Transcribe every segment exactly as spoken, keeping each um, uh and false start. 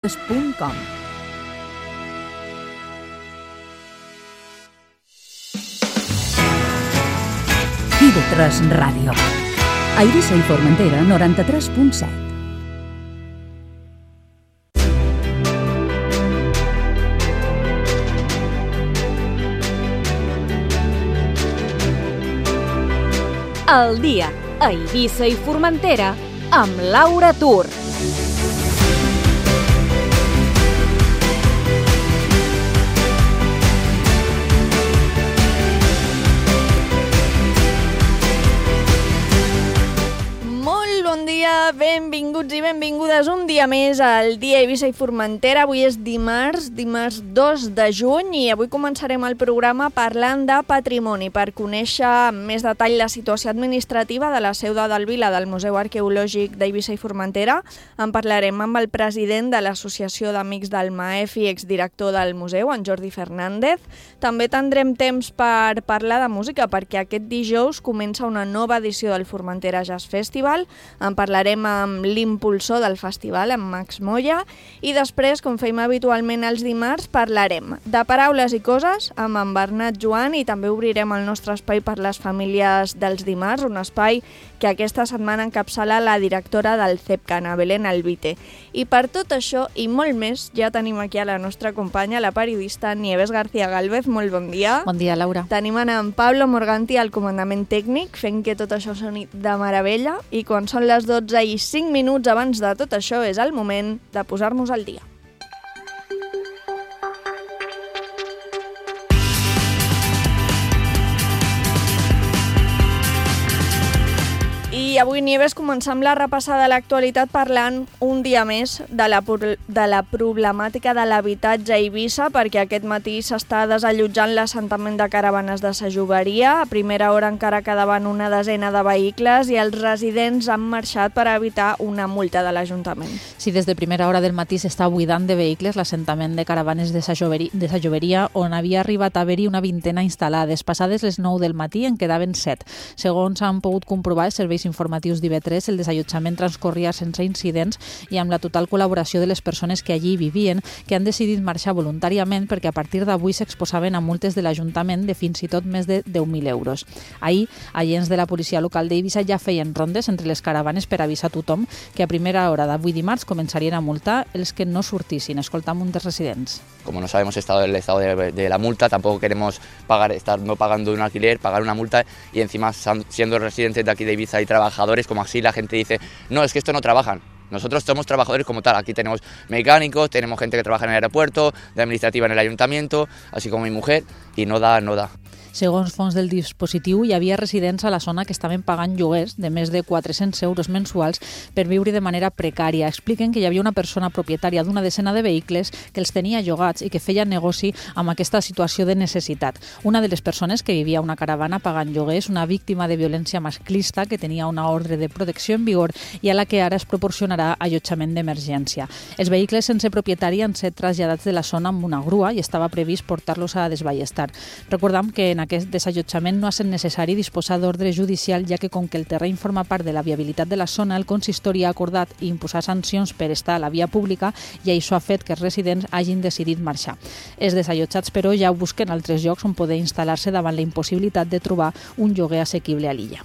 punt com. i ve tres Ràdio. A Eivissa i Formentera, noranta-tres punt set. El dia a Eivissa i Formentera amb Laura Tur. Benvinguts i benvingudes un dia més al dia Eivissa i Formentera. Avui és dimarts, dimarts dos de juny, i avui començarem el programa parlant de patrimoni per conèixer amb més detall la situació administrativa de la seu de Delvila del Museu Arqueològic d'Eivissa i Formentera. En parlarem amb el president de l'Associació d'Amics del Maef i exdirector del museu, en Jordi Fernández. També tindrem temps per parlar de música perquè aquest dijous comença una nova edició del Formentera Jazz Festival. En parlarem amb l'impulsor del festival, amb Max Moya, i després, com feim habitualment els dimarts, parlarem de paraules i coses amb en Bernat Joan, i també obrirem el nostre espai per les famílies dels dimarts, un espai que aquesta setmana encapçala la directora del CEPCANA, Belén Albite. I per tot això i molt més, ja tenim aquí a la nostra companya, la periodista Nieves García Gálvez. Molt bon dia. Bon dia, Laura. Tenim en Pablo Morganti al comandament tècnic, fent que tot això soni de meravella, i quan són les dotze i cinc minuts abans de tot això és el moment de posar-nos al dia. I avui, Nieves, començam la repassada de l'actualitat parlant un dia més de la, de la problemàtica de l'habitatge a Eivissa, perquè aquest matí s'està desallotjant l'assentament de caravanes de sa Joveria. A primera hora encara quedaven una desena de vehicles i els residents han marxat per evitar una multa de l'Ajuntament. Sí, des de primera hora del matí s'està buidant de vehicles l'assentament de caravanes de sa Joveria, de sa Joveria, on havia arribat a haver-hi una vintena instal·lades. Passades les nou del matí en quedaven set. Segons han pogut comprovar els serveis informatius d'I V tres, el desallotjament transcorria sense incidents i amb la total col·laboració de les persones que allí vivien, que han decidit marxar voluntàriament perquè a partir d'avui s'exposaven a multes de l'Ajuntament de fins i tot més de deu mil euros. Ahir, agents de la policia local d'Eivissa ja feien rondes entre les caravanes per avisar a tothom que a primera hora d'avui dimarts començarien a multar els que no sortissin. Escoltam un dels residents. Como no sabemos el estado, el estado de, de la multa, tampoco queremos pagar, estar no pagando un alquiler, pagar una multa y encima siendo residentes de aquí de Eivissa y trabajadores, como así la gente dice, no, es que esto no trabajan. Nosotros somos trabajadores como tal, aquí tenemos mecánicos, tenemos gente que trabaja en el aeropuerto, de administrativa en el ayuntamiento, así como mi mujer, y no da, no da. Segons fons del dispositiu, hi havia residents a la zona que estaven pagant lloguers de més de quatre-cents euros mensuals per viure de manera precària. Expliquen que hi havia una persona propietària d'una desena de vehicles que els tenia llogats i que feia negoci amb aquesta situació de necessitat. Una de les persones que vivia a una caravana pagant lloguers, una víctima de violència masclista que tenia una ordre de protecció en vigor i a la que ara es proporcionarà allotjament d'emergència. Els vehicles sense propietari han set traslladats de la zona amb una grua i estava previst portar-los a Desballestar. Recordam que en aquest desallotjament no ha estat necessari disposar d'ordre judicial, ja que com que el terreny forma part de la viabilitat de la zona, el consistori ha acordat imposar sancions per estar a la via pública i això ha fet que els residents hagin decidit marxar. Els desallotjats, però, ja busquen altres llocs on poder instal·lar-se davant la impossibilitat de trobar un lloguer assequible a l'illa.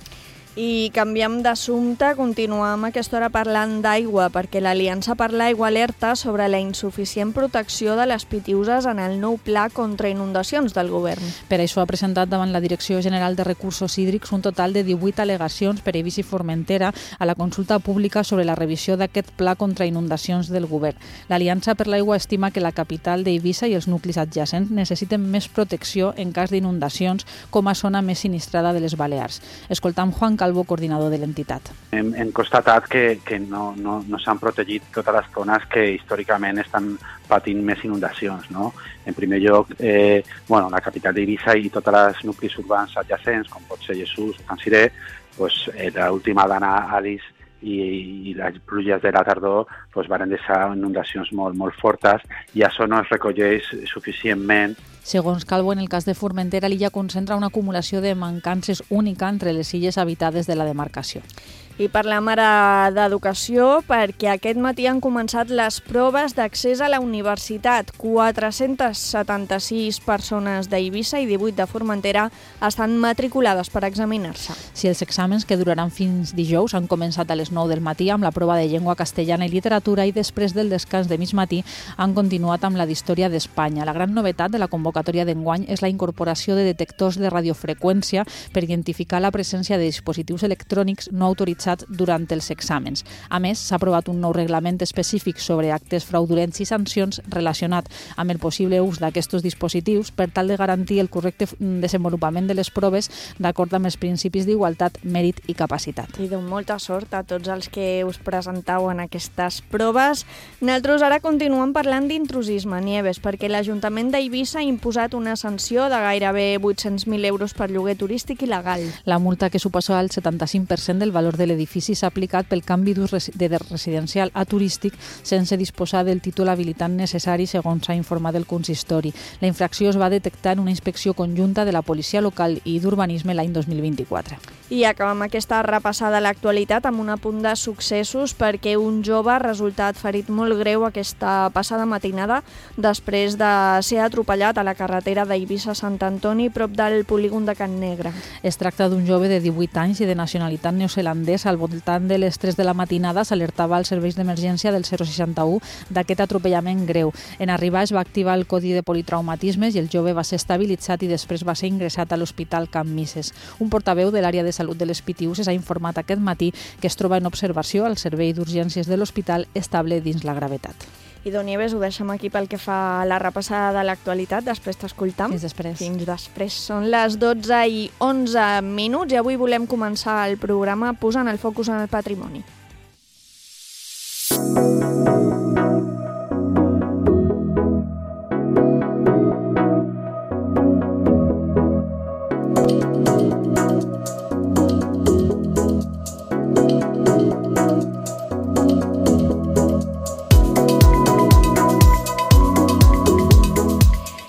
I canviem d'assumpte, continuem a aquesta hora parlant d'aigua, perquè l'Aliança per l'Aigua alerta sobre la insuficient protecció de les pitiüses en el nou pla contra inundacions del govern. Per això ha presentat davant la Direcció General de Recursos Hídrics un total de divuit al·legacions per Eivissa i Formentera a la consulta pública sobre la revisió d'aquest pla contra inundacions del govern. L'Aliança per l'Aigua estima que la capital d'Eivissa i els nuclis adjacents necessiten més protecció en cas d'inundacions com a zona més sinistrada de les Balears. Escoltam Juan Calvo, coordinador de l'entitat. Hem, hem constatat que, que no, no, no s'han protegit totes les zones que històricament estan patint més inundacions, no? En primer lloc, eh, bueno, la capital d'Eivissa i tots els nuclis urbans adjacents, com pot ser Jesús o Can Siré, pues, eh, l'última dana Alice i, i les pluges de la tardor pues, van deixar inundacions molt, molt fortes i això no es recolleix suficientment. Segons Calvo, en el cas de Formentera, l'illa concentra una acumulació de mancances única entre les illes habitades de la demarcació. I parlem ara d'educació perquè aquest matí han començat les proves d'accés a la universitat. quatre-centes setanta-sis persones d'Eivissa i divuit de Formentera estan matriculades per examinar-se. Si els exàmens, que duraran fins dijous, han començat a les nou del matí amb la prova de llengua castellana i literatura i després del descans de mig matí han continuat amb la d'història d'Espanya. La gran novetat de la convocatòria d'enguany és la incorporació de detectors de radiofreqüència per identificar la presència de dispositius electrònics no autoritzats durant els exàmens. A més, s'ha aprovat un nou reglament específic sobre actes fraudulents i sancions relacionat amb el possible ús d'aquests dispositius per tal de garantir el correcte desenvolupament de les proves d'acord amb els principis d'igualtat, mèrit i capacitat. I de molta sort a tots els que us presentau en aquestes proves. Nosaltres ara continuem parlant d'intrusisme, Nieves, perquè l'Ajuntament d'Eivissa ha imposat una sanció de gairebé vuit-cents mil euros per lloguer turístic il·legal. La multa, que suposa el setanta-cinc per cent del valor de l'edifici, s'ha aplicat pel canvi d'ús de residencial a turístic sense disposar del títol habilitant necessari, segons s'ha informat el consistori. La infracció es va detectar en una inspecció conjunta de la Policia Local i d'Urbanisme l'any dos mil vint-i-quatre. I acabem aquesta repassada a l'actualitat amb un apunt de successos perquè un jove ha resultat ferit molt greu aquesta passada matinada després de ser atropellat a la carretera d'Eivissa-Sant Antoni prop del polígon de Can Negre. Es tracta d'un jove de divuit anys i de nacionalitat neozelandesa. Al voltant de les tres de la matinada s'alertava als serveis d'emergència del zero seixanta u d'aquest atropellament greu. En arribar es va activar el codi de politraumatismes i el jove va ser estabilitzat i després va ser ingressat a l'Hospital Can Misses. Un portaveu de l'àrea de salut de les Pitiüses ha informat aquest matí que es troba en observació al servei d'urgències de l'hospital, estable dins la gravetat. I Don Nieves, ho deixem aquí pel que fa a la repassada de l'actualitat. Després t'escoltam. Fins després. Fins després. Són les dotze i onze minuts i avui volem començar el programa posant el focus en el patrimoni.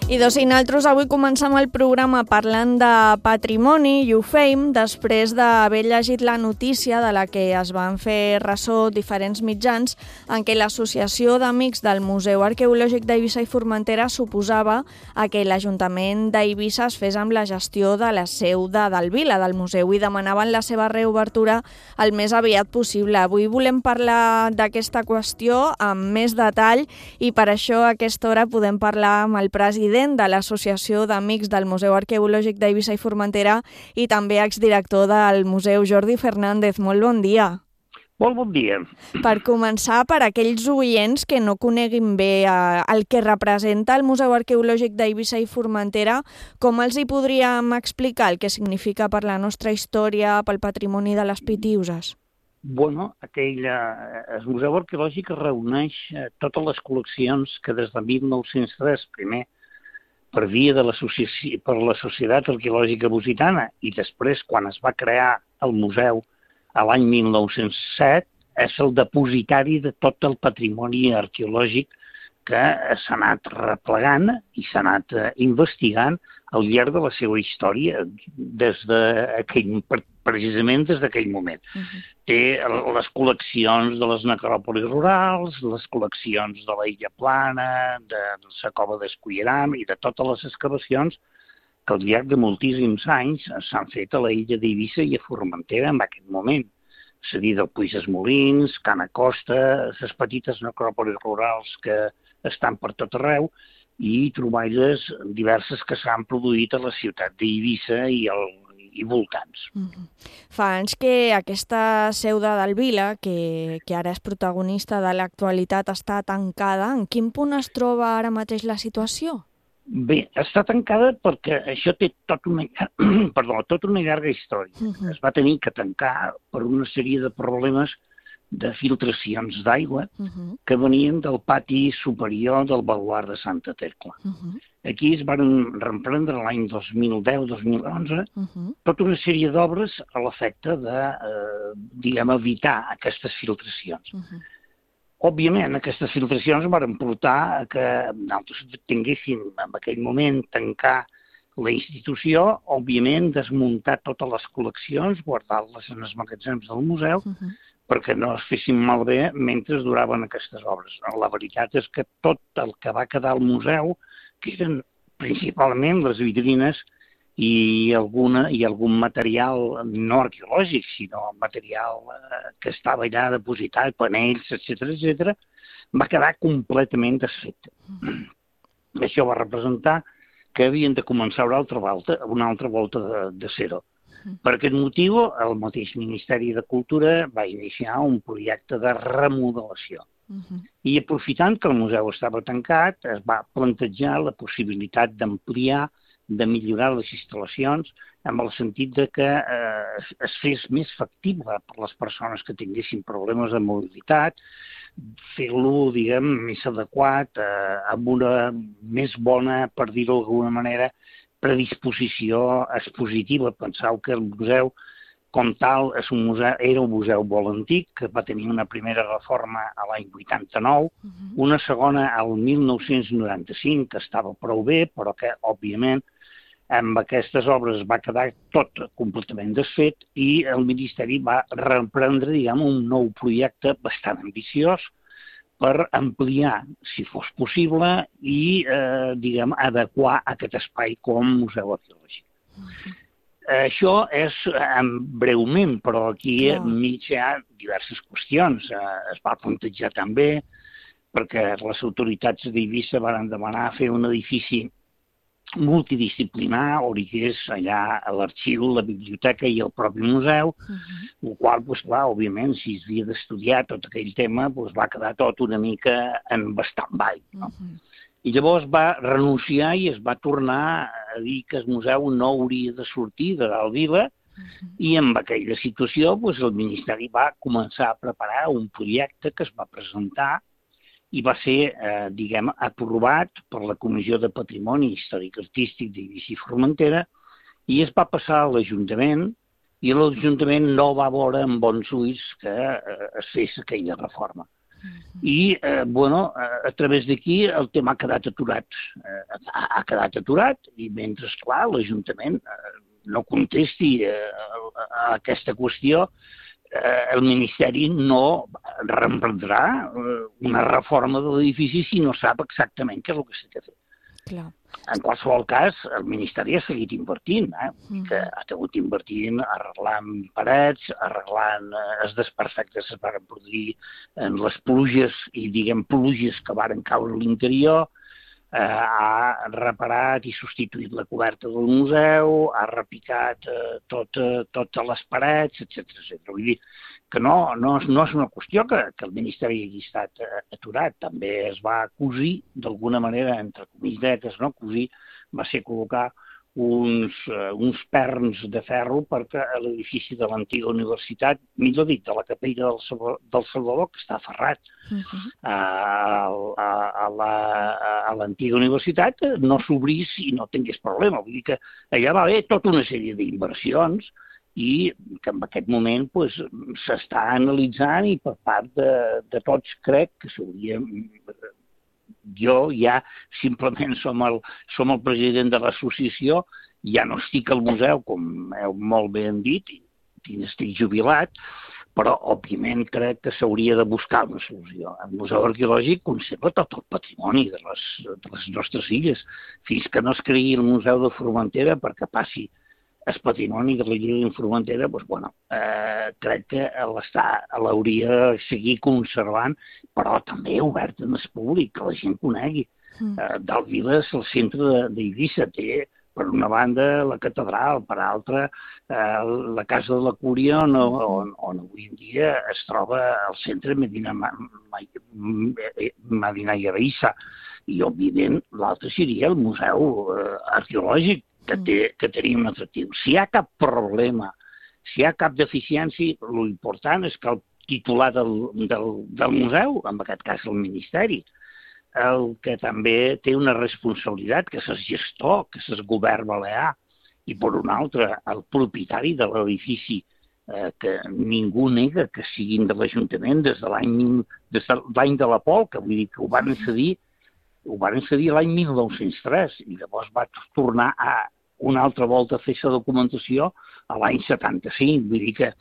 I doncs, nosaltres avui comencem el programa parlant de patrimoni i ho fem després d'haver llegit la notícia de la que es van fer ressò diferents mitjans en què l'Associació d'Amics del Museu Arqueològic d'Eivissa i Formentera suposava a que l'Ajuntament d'Eivissa es fes amb la gestió de la seu de Delvila, del museu, i demanaven la seva reobertura el més aviat possible. Avui volem parlar d'aquesta qüestió amb més detall i per això a aquesta hora podem parlar amb el president de l'Associació d'Amics del Museu Arqueològic d'Eivissa i Formentera i també exdirector del museu, Jordi Fernández. Molt bon dia. Molt bon dia. Per començar, per aquells oients que no coneguin bé eh, el que representa el Museu Arqueològic d'Eivissa i Formentera, com els hi podríem explicar el que significa per la nostra història, pel patrimoni de les Pitiüses? Bueno, aquell, eh, el Museu Arqueològic reuneix eh, totes les col·leccions que des de mil nou-cents tres, primer, per via de l'associació per la Societat Arqueològica Lusitana i després, quan es va crear el museu a l'any mil nou-cents set, és el depositari de tot el patrimoni arqueològic que s'ha anat replegant i s'ha anat eh, investigant al llarg de la seva història, des d'aquell, precisament des d'aquell moment. Uh-huh. Té les col·leccions de les necròpolis rurals, les col·leccions de la Illa Plana, de la Cova d'Esculleram i de totes les excavacions que al llarg de moltíssims anys s'han fet a la illa d'Eivissa i a Formentera en aquest moment. És a dir, del Puig dels Molins, Can Acosta, les petites necròpolis rurals que estan per tot arreu, i troballes diverses que s'han produït a la ciutat d'Eivissa i, el, i voltants. Mm-hmm. Fa anys que aquesta seu de Delvila, que, que ara és protagonista de l'actualitat, està tancada. En quin punt es troba ara mateix la situació? Bé, està tancada perquè això té tot una, perdó, tota una llarga història. Uh-huh. Es va tenir que tancar per una sèrie de problemes de filtracions d'aigua uh-huh. que venien del pati superior del baluard de Santa Tecla. Uh-huh. Aquí es van reprendre l'any dos mil deu dos mil onze uh-huh. tota una sèrie d'obres a l'efecte de, eh, diguem, evitar aquestes filtracions. Uh-huh. Òbviament, aquestes filtracions van portar a que nosaltres tinguéssim en aquell moment tancar La institució, òbviament, desmuntar totes les col·leccions, guardar-les en els magatzems del museu, uh-huh. perquè no es fessin malbé mentre duraven aquestes obres. La veritat és que tot el que va quedar al museu, que eren principalment les vitrines i, alguna, i algun material no arqueològic, sinó material eh, que estava allà depositat, panells, etcètera, etcètera, va quedar completament desfet. Uh-huh. Això va representar que havien de començar una altra volta, una altra volta de, de zero. Mm. Per aquest motiu, el mateix Ministeri de Cultura va iniciar un projecte de remodelació. Mm-hmm. I aprofitant que el museu estava tancat, es va plantejar la possibilitat d'ampliar, de millorar les instal·lacions, amb el sentit de que eh, es fes més factible per les persones que tinguessin problemes de mobilitat, fer-lo, diguem, més adequat, eh, amb una més bona, per dir-ho d'alguna manera, predisposició expositiva. Penseu que el museu, com tal, és un museu, era un museu molt antic, que va tenir una primera reforma a l'any vuitanta-nou, uh-huh. una segona al mil nou-cents noranta-cinc, que estava prou bé, però que, òbviament, amb aquestes obres va quedar tot completament desfet i el Ministeri va reprendre, diguem, un nou projecte bastant ambiciós per ampliar, si fos possible, i, eh, diguem, adequar aquest espai com a museu arqueològic. Uh-huh. Això és eh, breument, però aquí no. enmig hi ha diverses qüestions. Eh, es va plantejar també, perquè les autoritats d'Eivissa van demanar fer un edifici multidisciplinar, on hi hagués allà l'arxiu, la biblioteca i el propi museu, uh-huh. el qual, doncs, clar, òbviament, si es havia d'estudiar tot aquell tema, doncs, va quedar tot una mica en stand-by. No? Uh-huh. I llavors va renunciar i es va tornar a dir que el museu no hauria de sortir de dalt vila, uh-huh. i amb aquella situació doncs, el Ministeri va començar a preparar un projecte que es va presentar i va ser, eh, diguem, aprovat per la Comissió de Patrimoni Històric Artístic d'Eivissa i Formentera i es va passar a l'Ajuntament i l'Ajuntament no va veure amb bons ulls que eh, es fes aquella reforma. Uh-huh. I, eh, bueno, a, a través d'aquí el tema ha quedat aturat. Eh, ha, ha quedat aturat i mentre, esclar, l'Ajuntament eh, no contesti eh, a, a aquesta qüestió, el Ministeri no reemprendrà una reforma de l'edifici si no sap exactament què és el que s'ha de fer. Clar. En qualsevol cas, el Ministeri ha seguit invertint, eh? Mm. que ha hagut invertint arreglant parets, arreglant eh, els desperfectes que es van produir en les pluges i, diguem, pluges que van caure a l'interior, eh, ha reparat i substituït la coberta del museu, ha repicat eh, tot, eh, totes les parets, etcètera etcètera. Vull dir que no, no, no és una qüestió que, que el Ministeri hagi estat eh, aturat. També es va cosir, d'alguna manera, entre comidetes, no? Cosir va ser col·locar uns, uh, uns perns de ferro perquè l'edifici de l'antiga universitat, millor dit, de la capella del, Salvador, del Salvador, que està aferrat uh-huh. a, a, a, la, a l'antiga universitat, no s'obrís i no tingués problema. Vull dir que allà va haver tota una sèrie d'inversions i que en aquest moment pues, s'està analitzant i per part de, de tots crec que s'hauria... Jo ja simplement som el, som el president de l'associació, ja no estic al museu, com heu molt bé dit, i estic jubilat, però òbviament crec que s'hauria de buscar una solució. El Museu Arqueològic conserva tot el patrimoni de les, de les nostres illes, fins que no es creï el Museu de Formentera perquè passi el patrimoni de la Illa de Formentera, doncs, bueno, eh, crec que l'hauria de seguir conservant, però també obert en el públic, que la gent conegui. Mm. Eh, Dalt Vila és el centre d'Eivissa, té per una banda la catedral, per altra eh, la Casa de la Cúria, on, on, on avui en dia es troba al centre Medina, Medina Eivissa, i òbviament l'altre seria el Museu eh, Arqueològic, que, té, que tenia un atractiu. Si hi ha cap problema, si hi ha cap deficiència, l'important és que el titular del, del, del museu, en aquest cas el Ministeri, el que també té una responsabilitat, que és el gestor, que és el govern balear, i per un altre, el propietari de l'edifici, eh, que ningú nega que siguin de l'Ajuntament des de l'any des de l'any de la Pol, que vull dir que ho van cedir ho van cedir l'any mil nou-cents tres i llavors va tornar a una altra volta a fer la documentació a l'any setanta-cinc. Vull dir que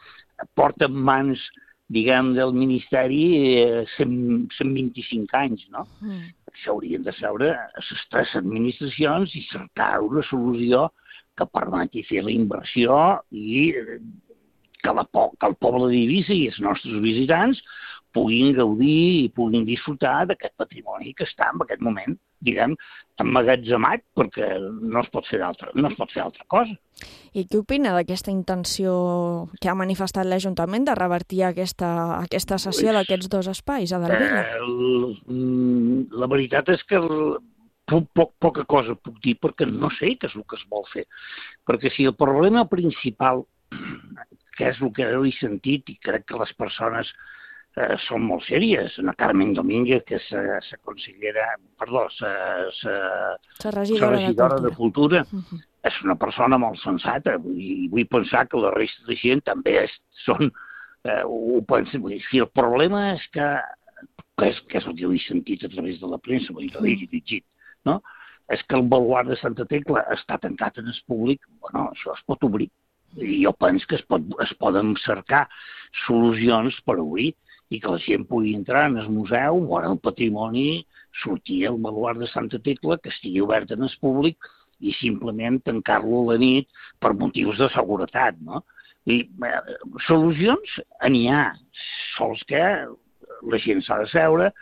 porta en mans, diguem, del Ministeri eh, cent vint-i-cinc anys, no? Mm. Això haurien de seure les tres administracions i cercar una solució que permeti fer la inversió i que, la, que el poble d'Eivissa i els nostres visitants puguin gaudir i puguin disfrutar d'aquest patrimoni que està en aquest moment, diguem, emmagatzemat, perquè no es pot fer d'altra, no es pot fer altra cosa. I què opina d'aquesta intenció que ha manifestat l'Ajuntament de revertir aquesta, aquesta cessió pues, d'aquests dos espais a Delvila? Eh, la veritat és que poc, poc, poca cosa puc dir perquè no sé què és el que es vol fer. Perquè si el problema principal, que és el que heu sentit, i crec que les persones Eh, són molt sèries. La Carmen Domínguez, que és la consellera, perdó, la regidora, regidora de Cultura, de Cultura uh -huh. és una persona molt sensata i vull pensar que la resta de gent també és, són, eh, ho pensen. Si el problema és que, que, és, que és el que he sentit a través de la premsa, vull dir, l'he llegit, no? És que el baluard de Santa Tecla està tancat en el públic, bueno, això es pot obrir. I jo penso que es, pot, es poden cercar solucions per obrir i que la gent pugui entrar en el museu, veure el patrimoni, sortir al baluard de Santa Tecla, que estigui obert en el públic i simplement tancar-lo a la nit per motius de seguretat, no? I eh, solucions n'hi ha, sols que la gent s'ha de seure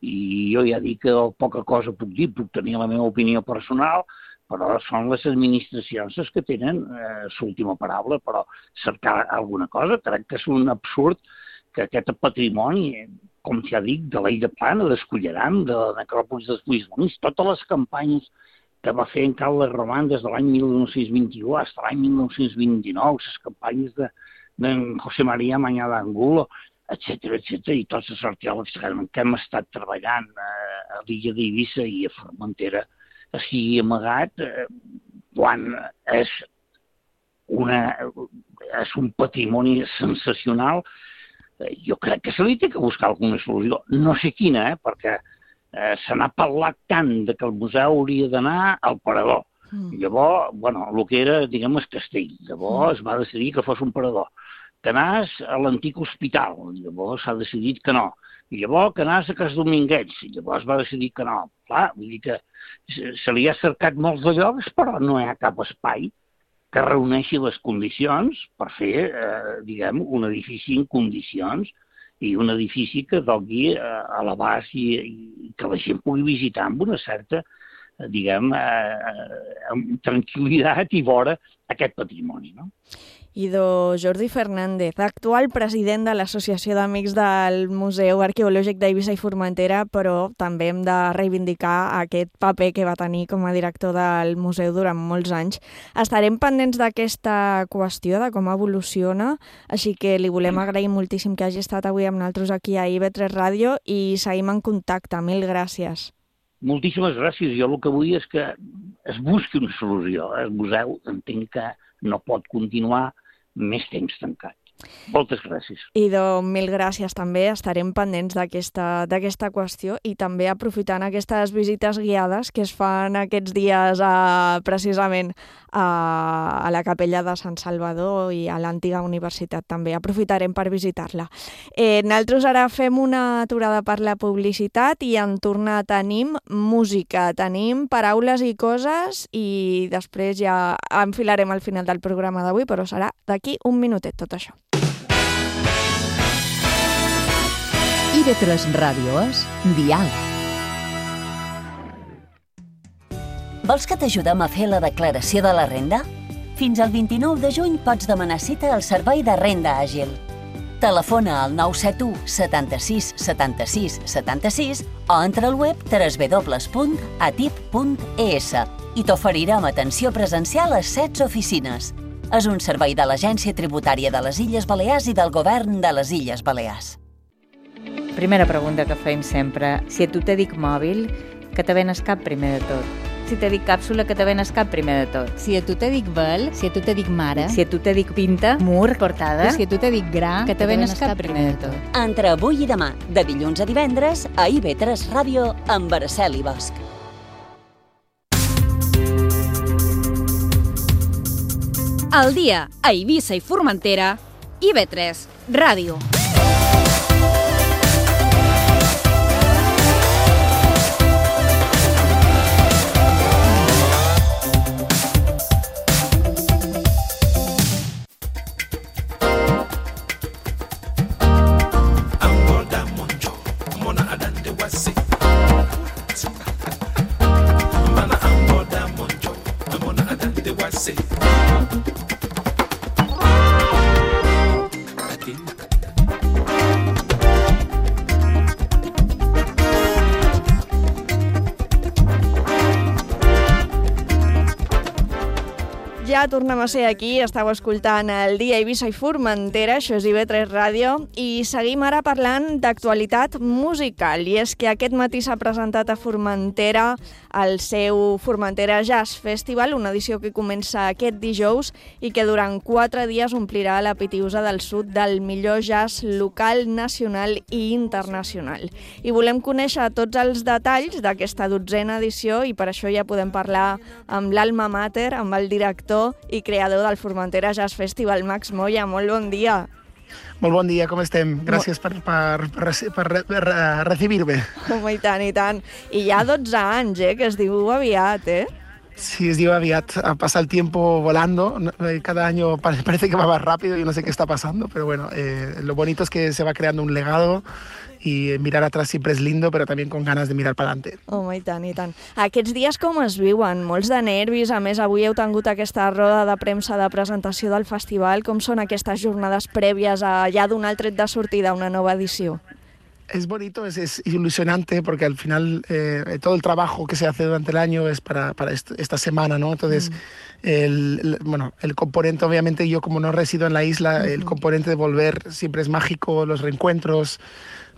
i jo ja dic que poca cosa puc dir, puc tenir la meva opinió personal, però són les administracions les que tenen eh, l'última paraula, però cercar alguna cosa, crec que és un absurd que aquest patrimoni, com ja dic, de l'Illa Plana, d'Esculleram, de la necròpolis dels Puigdemont, totes les campanyes que va fer en Carles Roman des de l'any mil nou-cents vint-i-u fins a l'any mil nou-cents vint-i-nou, les campanyes de, de José María Mañá d'Angulo, etcètera, etcètera, i tots els arqueòlegs que hem estat treballant a l'illa d'Eivissa i a Formentera així amagat, eh, quan és, una, és un patrimoni sensacional. Jo crec que se li té que buscar alguna solució. No sé quina, eh, perquè eh, se n'ha parlat tant de que el museu hauria d'anar al parador. Mm. Llavors, bueno, el que era, diguem, el castell. Llavors mm. es va decidir que fos un parador. Que anés a l'antic hospital. Llavors s'ha decidit que no. I llavors que anés a Cas Dominguets. Llavors va decidir que no. Clar, vull dir que se li ha cercat molts de llocs, però no hi ha cap espai que reuneixi les condicions per fer, eh, diguem, un edifici en condicions i un edifici que doni eh, a l'abast i, i que la gent pugui visitar amb una certa, eh, diguem, eh, amb tranquil·litat i vora aquest patrimoni, no? Idò Jordi Fernández, actual president de l'Associació d'Amics del Museu Arqueològic d'Eivissa i Formentera, però també hem de reivindicar aquest paper que va tenir com a director del museu durant molts anys. Estarem pendents d'aquesta qüestió, de com evoluciona, així que li volem agrair moltíssim que hagi estat avui amb nosaltres aquí a I V tres Ràdio i seguim en contacte. Mil gràcies. Moltíssimes gràcies. Jo el que vull és que es busqui una solució. El museu entenc que no pot continuar més temps tancat. Moltes gràcies. Idò, mil gràcies també. Estarem pendents d'aquesta d'aquesta qüestió i també aprofitant aquestes visites guiades que es fan aquests dies a, precisament a, a la capella de Sant Salvador i a l'antiga universitat també. Aprofitarem per visitar-la. Eh, nosaltres ara fem una aturada per la publicitat i en tornar tenim música, tenim paraules i coses i després ja enfilarem al final del programa d'avui, però serà d'aquí un minutet tot això. I V tres Ràdio és Diàleg. Vols que t'ajudem a fer la declaració de la renda? Fins al vint-i-nou de juny pots demanar cita al Servei de Renda Àgil. Telefona al nou set u setanta-sis setanta-sis setanta-sis o entra al web w w w punt a t i p punt e s i t'oferirem atenció presencial a setze oficines. És un servei de l'Agència Tributària de les Illes Balears i del Govern de les Illes Balears. Primera pregunta que fem sempre. Si a tu te dic mòbil, que te ven el cap primer de tot. Si te dic càpsula, que te ven el cap primer de tot. Si a tu te dic vel, si a tu te dic mare. Si a tu te dic pinta, mur, portada. Si a tu te dic gra, que te ven el cap primer de tot. Entre avui i demà, de dilluns a divendres, a I V tres Ràdio, amb Araceli Bosch. al dia a Eivissa i Formentera, I V tres Ràdio. Ja tornem a ser aquí, estàu escoltant el dia Eivissa i Formentera, això és I V tres Ràdio, i seguim ara parlant d'actualitat musical. I és que aquest matí s'ha presentat a Formentera el seu Formentera Jazz Festival, una edició que comença aquest dijous i que durant quatre dies omplirà la Pitiusa del Sud del millor jazz local, nacional i internacional. I volem conèixer tots els detalls d'aquesta dotzena edició i per això ja podem parlar amb l'alma mater, amb el director i creador del Formentera Jazz Festival, Max Moya. Molt bon dia. Molt bon dia, com estem? Gràcies per, per, per, per, per recibir-me. Home, i tant, i tant. I ja dotze anys, eh, que es diu aviat, eh? Sí, es diu aviat. Pasa el tiempo volando. Cada año parece que va más rápido y no sé qué está pasando, pero bueno, eh, lo bonito es que se va creando un legado y mirar atrás siempre es lindo, pero también con ganas de mirar para adelante. Home, i tant, i tant. Aquests dies com es viuen? Molts de nervis, a més avui heu tingut aquesta roda de premsa de presentació del festival. Com són aquestes jornades prèvies a ja donar el tret de sortida a una nova edició? Es bonito, es, es ilusionante porque al final eh, todo el trabajo que se hace durante el año es para, para est esta semana, ¿no? Entonces, mm. el, el, bueno, el componente, obviamente, yo como no resido en la isla, mm-hmm. el componente de volver siempre es mágico, los reencuentros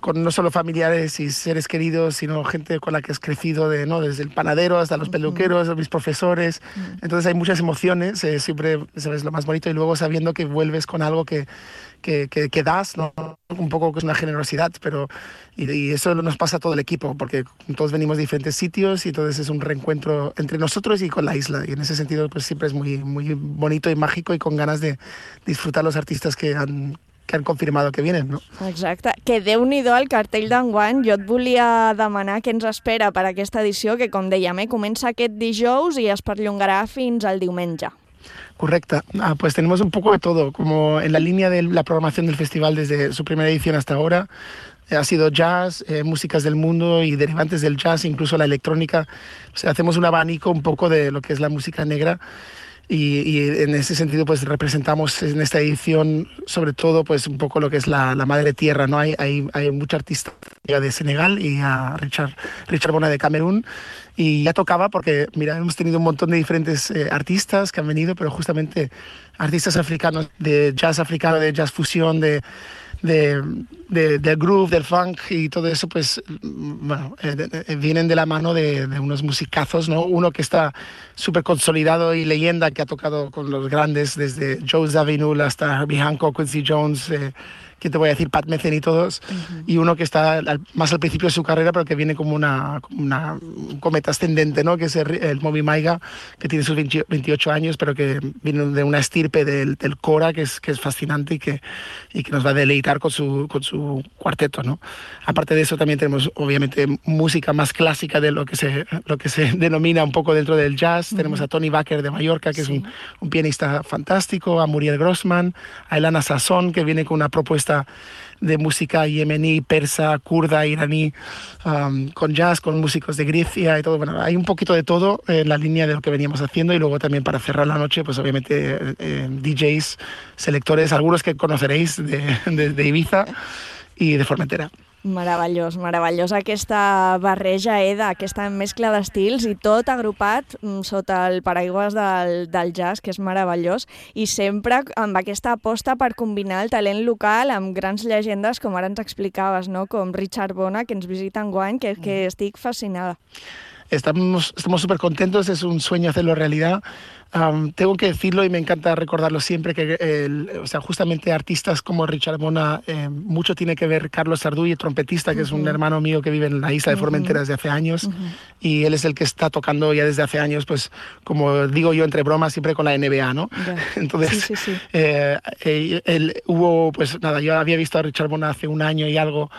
con no solo familiares y seres queridos, sino gente con la que has crecido, de, ¿no? Desde el panadero hasta los peluqueros, uh-huh. mis profesores. Uh-huh. Entonces hay muchas emociones, eh, siempre sabes lo más bonito, y luego sabiendo que vuelves con algo que, que, que, que das, ¿no? Un poco que es una generosidad, pero y, y eso nos pasa a todo el equipo, porque todos venimos de diferentes sitios y entonces es un reencuentro entre nosotros y con la isla. Y en ese sentido pues siempre es muy, muy bonito y mágico y con ganas de disfrutar los artistas que han que han confirmado que vienen, no? Exacte. Que Déu-n'hi-do el cartell d'enguany. Jo et volia demanar què ens espera per aquesta edició, que com dèiem, eh, comença aquest dijous i es perllongarà fins al diumenge. Correcto. Ah, pues tenemos un poco de todo, como en la línea de la programación del festival desde su primera edición hasta ahora. Eh, ha sido jazz, eh, músicas del mundo y derivantes del jazz, incluso la electrónica. O sea, hacemos un abanico un poco de lo que es la música negra. Y, y en ese sentido pues representamos en esta edición sobre todo pues un poco lo que es la, la madre tierra, ¿no? Hay, hay, hay mucha artista de Senegal y a Richard, Richard Bona de Camerún, y ya tocaba porque mira, hemos tenido un montón de diferentes eh, artistas que han venido, pero justamente artistas africanos de jazz africano, de jazz fusión, de De, de, del groove, del funk y todo eso, pues bueno, eh, de, vienen de la mano de, de unos musicazos, ¿no? Uno que está súper consolidado y leyenda, que ha tocado con los grandes, desde Joe Zawinul hasta Herbie Hancock, Quincy Jones, eh, ¿qué te voy a decir? Pat Metheny y todos. Uh-huh. Y uno que está al, más al principio de su carrera, pero que viene como una, como una un cometa ascendente, ¿no? Que es el, el Moby Maiga, que tiene sus veintiocho años, pero que viene de una estirpe del, del Cora, que es, que es fascinante y que, y que nos va a deleitar con su, con su cuarteto, ¿no? Aparte de eso, también tenemos, obviamente, música más clásica de lo que se, lo que se denomina un poco dentro del jazz. Uh-huh. Tenemos a Tony Baker de Mallorca, que sí. es un, un pianista fantástico, a Muriel Grossman, a Elana Sasson, que viene con una propuesta de música yemení, persa, kurda, iraní, um, con jazz, con músicos de Grecia y todo. Bueno, hay un poquito de todo en la línea de lo que veníamos haciendo, y luego también para cerrar la noche, pues obviamente eh, D Js, selectores, algunos que conoceréis de, de, de Ibiza y de Formentera. Meravellós, meravellós aquesta barreja, eh, d'aquesta mescla d'estils i tot agrupat sota el paraigües del, del jazz, que és meravellós, i sempre amb aquesta aposta per combinar el talent local amb grans llegendes, com ara ens explicaves, no? Com Richard Bona, que ens visita enguany, que, que estic fascinada. estamos estamos súper contentos, es un sueño hacerlo realidad. Um, tengo que decirlo y me encanta recordarlo siempre, que el, o sea, justamente artistas como Richard Bona, eh, mucho tiene que ver Carlos Sarduy, el trompetista, que uh-huh. es un hermano mío que vive en la isla de Formentera uh-huh. desde hace años, uh-huh. y él es el que está tocando ya desde hace años, pues como digo yo entre bromas, siempre con la N B A, ¿no? Yeah. Entonces, sí, sí, sí. Eh, eh, él, hubo, pues nada, yo había visto a Richard Bona hace un año y algo,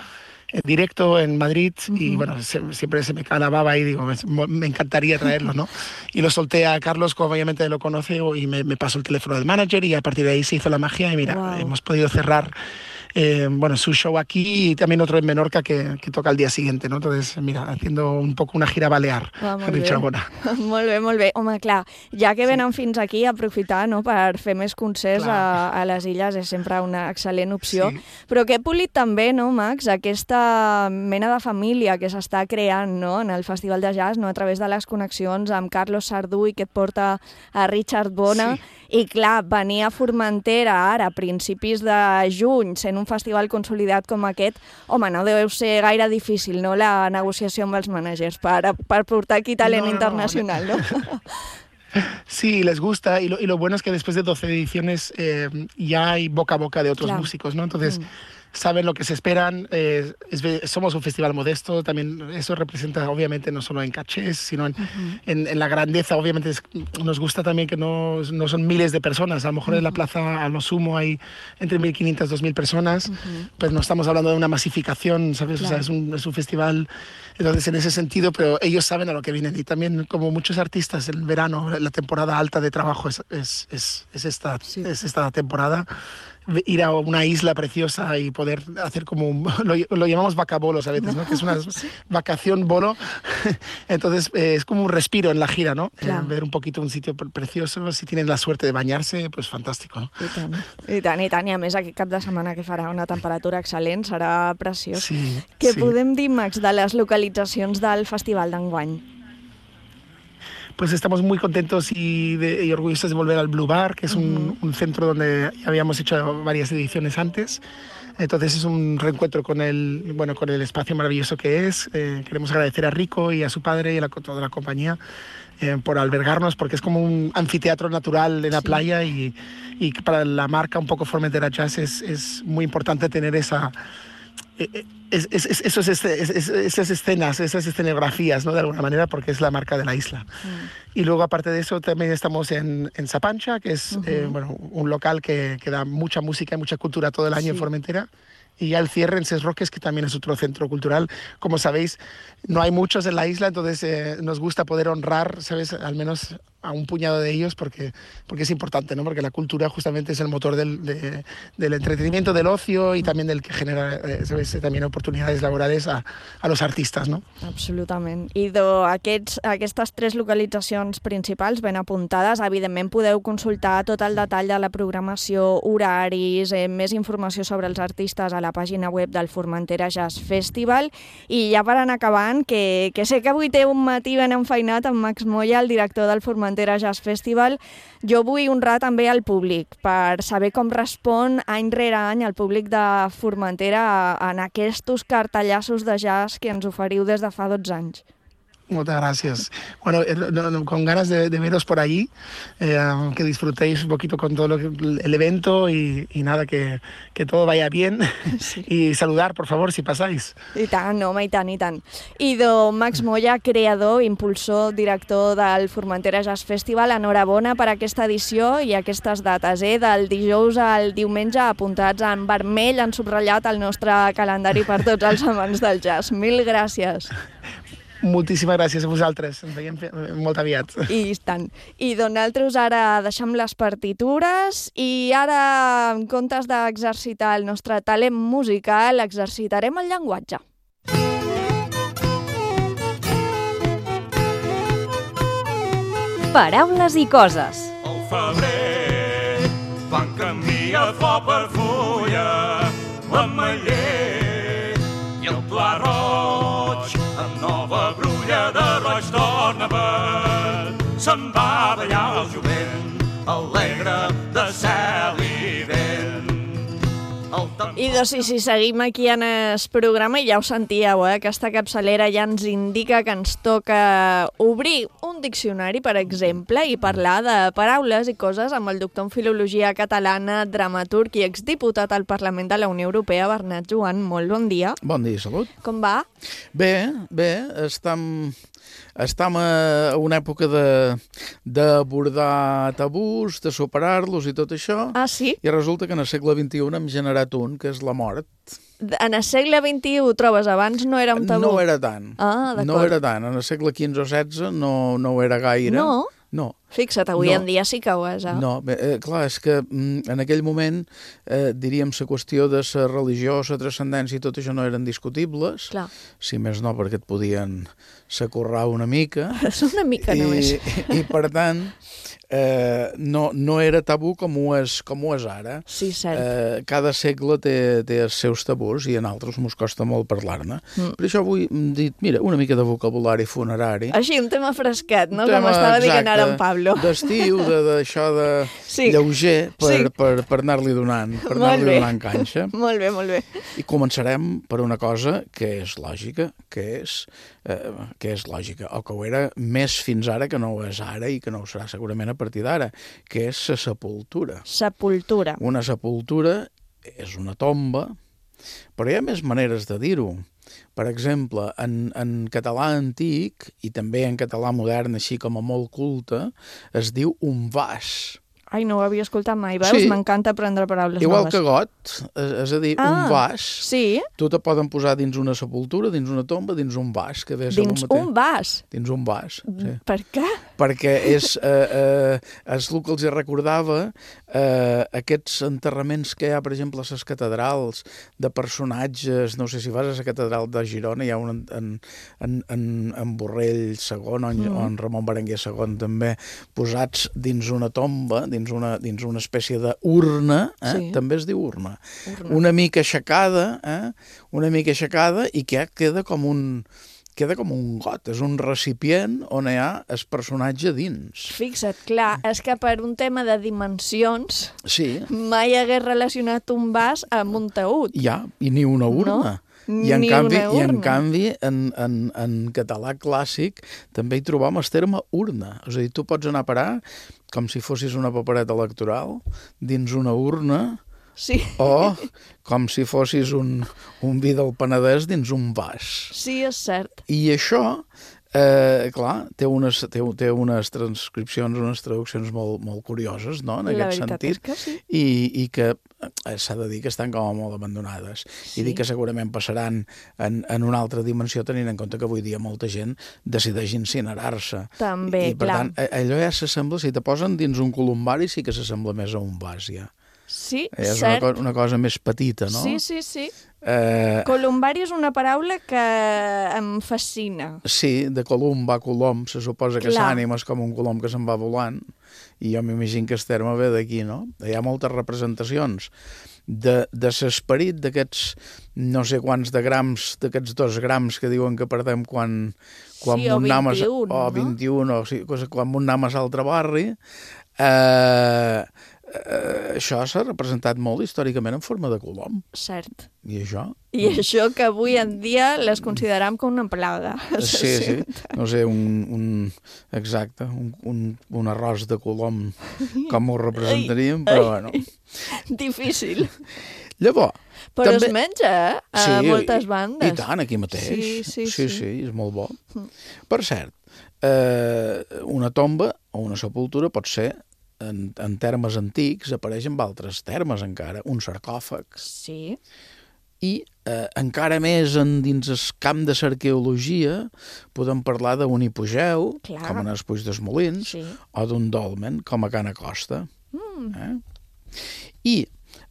en directo en Madrid, uh-huh. y bueno, se, siempre se me cae la baba y digo, me, me encantaría traerlo, ¿no? Y lo solté a Carlos, como obviamente lo conoce, y me, me pasó el teléfono del manager y a partir de ahí se hizo la magia y mira, wow. hemos podido cerrar eh, bueno, su show aquí y también otro en Menorca que, que toca al día siguiente, no? Entonces, mira, haciendo un poco una gira balear, ah, Richard Bona. Molt bé, molt bé. Home, clar, ja que venen sí. fins aquí, aprofitar, no?, per fer més concerts a, a les illes és sempre una excel·lent opció. Sí. Però que he polit també, no, Max, aquesta mena de família que s'està creant, no?, en el Festival de Jazz, no?, a través de les connexions amb Carlos Sarduy, que et porta a Richard Bona, sí. i clar, venir a Formentera ara, a principis de juny, sent un festival consolidat com aquest, home, no deu ser gaire difícil, no?, la negociació amb els managers per, per portar aquí talent no, no, internacional, ¿no? Sí, les gusta y lo, y lo bueno es que después de doce ediciones eh, ya hay boca a boca de otros claro. músicos, ¿no? Entonces... Mm. saben lo que se esperan, eh, es, somos un festival modesto, también eso representa obviamente no solo en cachés, sino en, uh-huh. en, en la grandeza, obviamente es, nos gusta también que no, no son miles de personas, a lo mejor uh-huh. en la plaza a lo sumo hay entre mil quinientas y dos mil personas, uh-huh. pues no estamos hablando de una masificación, ¿sabes? Claro. O sea, es un, es un festival, entonces en ese sentido, pero ellos saben a lo que vienen y también como muchos artistas, el verano, la temporada alta de trabajo es, es, es, es, esta, sí. es esta temporada. Ir a una isla preciosa y poder hacer como un, lo, lo llamamos vacabolos a veces, ¿no? Que es una vacación bolo, entonces eh, es como un respiro en la gira, ¿no? Eh, ver un poquito un sitio precioso, si tienen la suerte de bañarse, pues fantástico, ¿no? I tant, i tant, i tant, i a més aquest cap de setmana que farà una temperatura excel·lent, serà preciós. Sí, Què sí. podem dir, Max, de les localitzacions del festival d'enguany? Pues estamos muy contentos y, de, y orgullosos de volver al Blue Bar, que es un, uh-huh. un centro donde ya habíamos hecho varias ediciones antes. Entonces es un reencuentro con el, bueno, con el espacio maravilloso que es. Eh, queremos agradecer a Rico y a su padre y a la, toda la compañía eh, por albergarnos, porque es como un anfiteatro natural en la sí. playa y, y para la marca un poco Formentera Jazz es, es muy importante tener esa... Es, es, es, esos, es, es, esas escenas, esas escenografías, ¿no? De alguna manera, porque es la marca de la isla. Mm. Y luego, aparte de eso, también estamos en, en Sapancha, que es uh-huh. eh, bueno, un local que, que da mucha música y mucha cultura todo el año sí. en Formentera. Y ya el cierre en Ses Roques, que también es otro centro cultural. Como sabéis, no hay muchos en la isla, entonces eh, nos gusta poder honrar, ¿sabes?, al menos a un puñado de ellos, porque, porque es importante, ¿no? Porque la cultura justamente es el motor del, de, del entretenimiento, del ocio y también del que genera, eh, ¿sabes?, también oportunidades laborales a, a los artistas, ¿no? Absolutament. I d'aquestes aquestes tres localitzacions principals ben apuntades, evidentment podeu consultar tot el detall de la programació, horaris, eh, més informació sobre els artistes a la pàgina web del Formentera Jazz Festival. I ja per anar acabant, que, que sé que avui té un matí ben enfeinat amb Max Moya, el director del Formentera Jazz Festival, jo vull honrar també al públic per saber com respon any rere any el públic de Formentera en aquests cartellassos de jazz que ens oferiu des de fa dotze anys. Muchas gracias. Bueno, no, no, con ganas de, de veros por allí, eh, que disfrutéis un poquito con todo lo que, el evento y, y nada, que, que todo vaya bien sí. y saludar, por favor, si pasáis. I tant, home, i tant, i tant. I do Max Moya, creador, impulsor, director del Formentera Jazz Festival, enhorabona per aquesta edició i aquestes dates, eh? Del dijous al diumenge, apuntats en vermell, en subratllat al nostre calendari per tots els amants del jazz. Mil gràcies. Moltíssimes gràcies a vosaltres, ens veiem molt aviat. I tant. I nosaltres ara deixem les partitures i ara, en comptes d'exercitar el nostre talent musical, exercitarem el llenguatge. Paraules i coses. Al febrer van canviar flor per fulla, l'ametller i el pla roig amb nova brulla de roig torna verd. Se'n va ballar el jovent, alegre de cel i vent. El I doncs, si, si seguim aquí en el programa, ja ho sentíeu, eh? Aquesta capçalera ja ens indica que ens toca obrir un diccionari, per exemple, i parlar de paraules i coses amb el doctor en Filologia Catalana, dramaturg i exdiputat al Parlament de la Unió Europea, Bernat Joan. Molt bon dia. Bon dia, salut. Com va? Bé, bé, estem... Estem a una època d'abordar tabús, de superar-los i tot això. Ah, sí? I resulta que en el segle vint-i-u hem generat un, que és la mort. En el segle vint-i-u, trobes, abans no era un tabú? No era tant. Ah, d'acord. No era tant. En el segle quinze o setze no, no ho era gaire. No? No. Fixa't, avui no. en dia sí que ho és, eh? No, bé, eh, clar, és que mm, en aquell moment, eh, diríem, la qüestió de la religió, la transcendència i tot això no eren discutibles. Clar. Si més no, perquè et podien s'acurrar una mica. Una mica I, només. I, i per tant, eh, no, no era tabú com ho és, com ho és ara. Sí, cert. Eh, cada segle té, té els seus tabús i en altres mos costa molt parlar-ne. Mm. Per això avui hem dit, mira, una mica de vocabulari funerari. Així, un tema fresquet, no? Un tema, com estava exacte, dient ara en Pablo. D'estiu, d'això de, de sí. lleuger, per, sí. per, per anar-li donant, per anar-li donant canxa. Molt bé, molt bé. I començarem per una cosa que és lògica, que és, eh, que és lògica, o que ho era més fins ara que no ho és ara i que no ho serà segurament a partir d'ara, que és la sepultura. Sepultura. Una sepultura és una tomba, però hi ha més maneres de dir-ho. Per exemple, en, en català antic, i també en català modern, així com a molt culte, es diu un vas. Ai, no ho havia escoltat mai, veus? Sí. M'encanta aprendre paraules Igual noves. que got, és, és a dir, ah, un vas. Sí? Tu te poden posar dins una sepultura, dins una tomba, dins un vas. Que dins un vas? Dins un vas, sí. Per què? Perquè és, eh, eh, és el que els recordava eh, aquests enterraments que hi ha, per exemple, a les catedrals de personatges. No sé si vas a la catedral de Girona, hi ha un en, en, en, en Borrell segon o en, mm. o en Ramon Berenguer segon també, posats dins una tomba, dins una, dins una espècie d'urna, eh? Sí. També es diu urna. urna. Una mica aixecada, eh? una mica aixecada i que queda com un... queda com un got, és un recipient on hi ha el personatge dins. Fixa't, clar, és que per un tema de dimensions sí. mai hagués relacionat un vas amb un taüt. Ja, i ni una urna. No? I en ni canvi, una urna. i en, canvi en, en, en català clàssic també hi trobam el terme urna. És a dir, tu pots anar a parar com si fossis una papereta electoral dins una urna. Sí. O com si fossis un, un vi del Penedès dins un vas. Sí, és cert. I això, eh, clar, té unes, té, té unes transcripcions, unes traduccions molt, molt curioses, no?, en La aquest sentit. sentit. Que sí. I, i que eh, s'ha de dir que estan com molt abandonades. Sí. I dir que segurament passaran en, en una altra dimensió, tenint en compte que avui dia molta gent decideix incinerar-se. També, I, per clar. tant, allò ja s'assembla, si te posen dins un columbari, sí que s'assembla més a un vas, ja. Sí, és cert. una, co una cosa més petita, no? Sí, sí, sí. Eh... Columbari és una paraula que em fascina. Sí, de colum va colom, se suposa que l'ànima és com un colom que se'n va volant, i jo m'imagino que el terme ve d'aquí, no? Hi ha moltes representacions de, de l'esperit d'aquests no sé quants de grams, d'aquests dos grams que diuen que perdem quan, quan sí, o vint-i-un, no? O vint-i-un, o sí, quan mun anem a l'altre barri. Eh... Uh, això s'ha representat molt històricament en forma de colom. Cert. I això? I mm. això que avui en dia les consideram com una plaga. Sí, sí. No sé, un, un exacte, un, un, un arròs de colom, com ho representaríem, però bueno. Difícil. Llavors... Però també... es menja, eh? A sí, moltes bandes. I tant, aquí mateix. Sí, sí, sí. sí. sí és molt bo. Mm. Per cert, eh, una tomba o una sepultura pot ser En, en termes antics, apareix amb altres termes encara, un sarcòfag. Sí. I eh, encara més en, dins el camp de l'arqueologia podem parlar d'un hipogeu, Clar. com en els Puig dels Molins, sí. o d'un dolmen, com a Can Acosta. Mm. Eh? I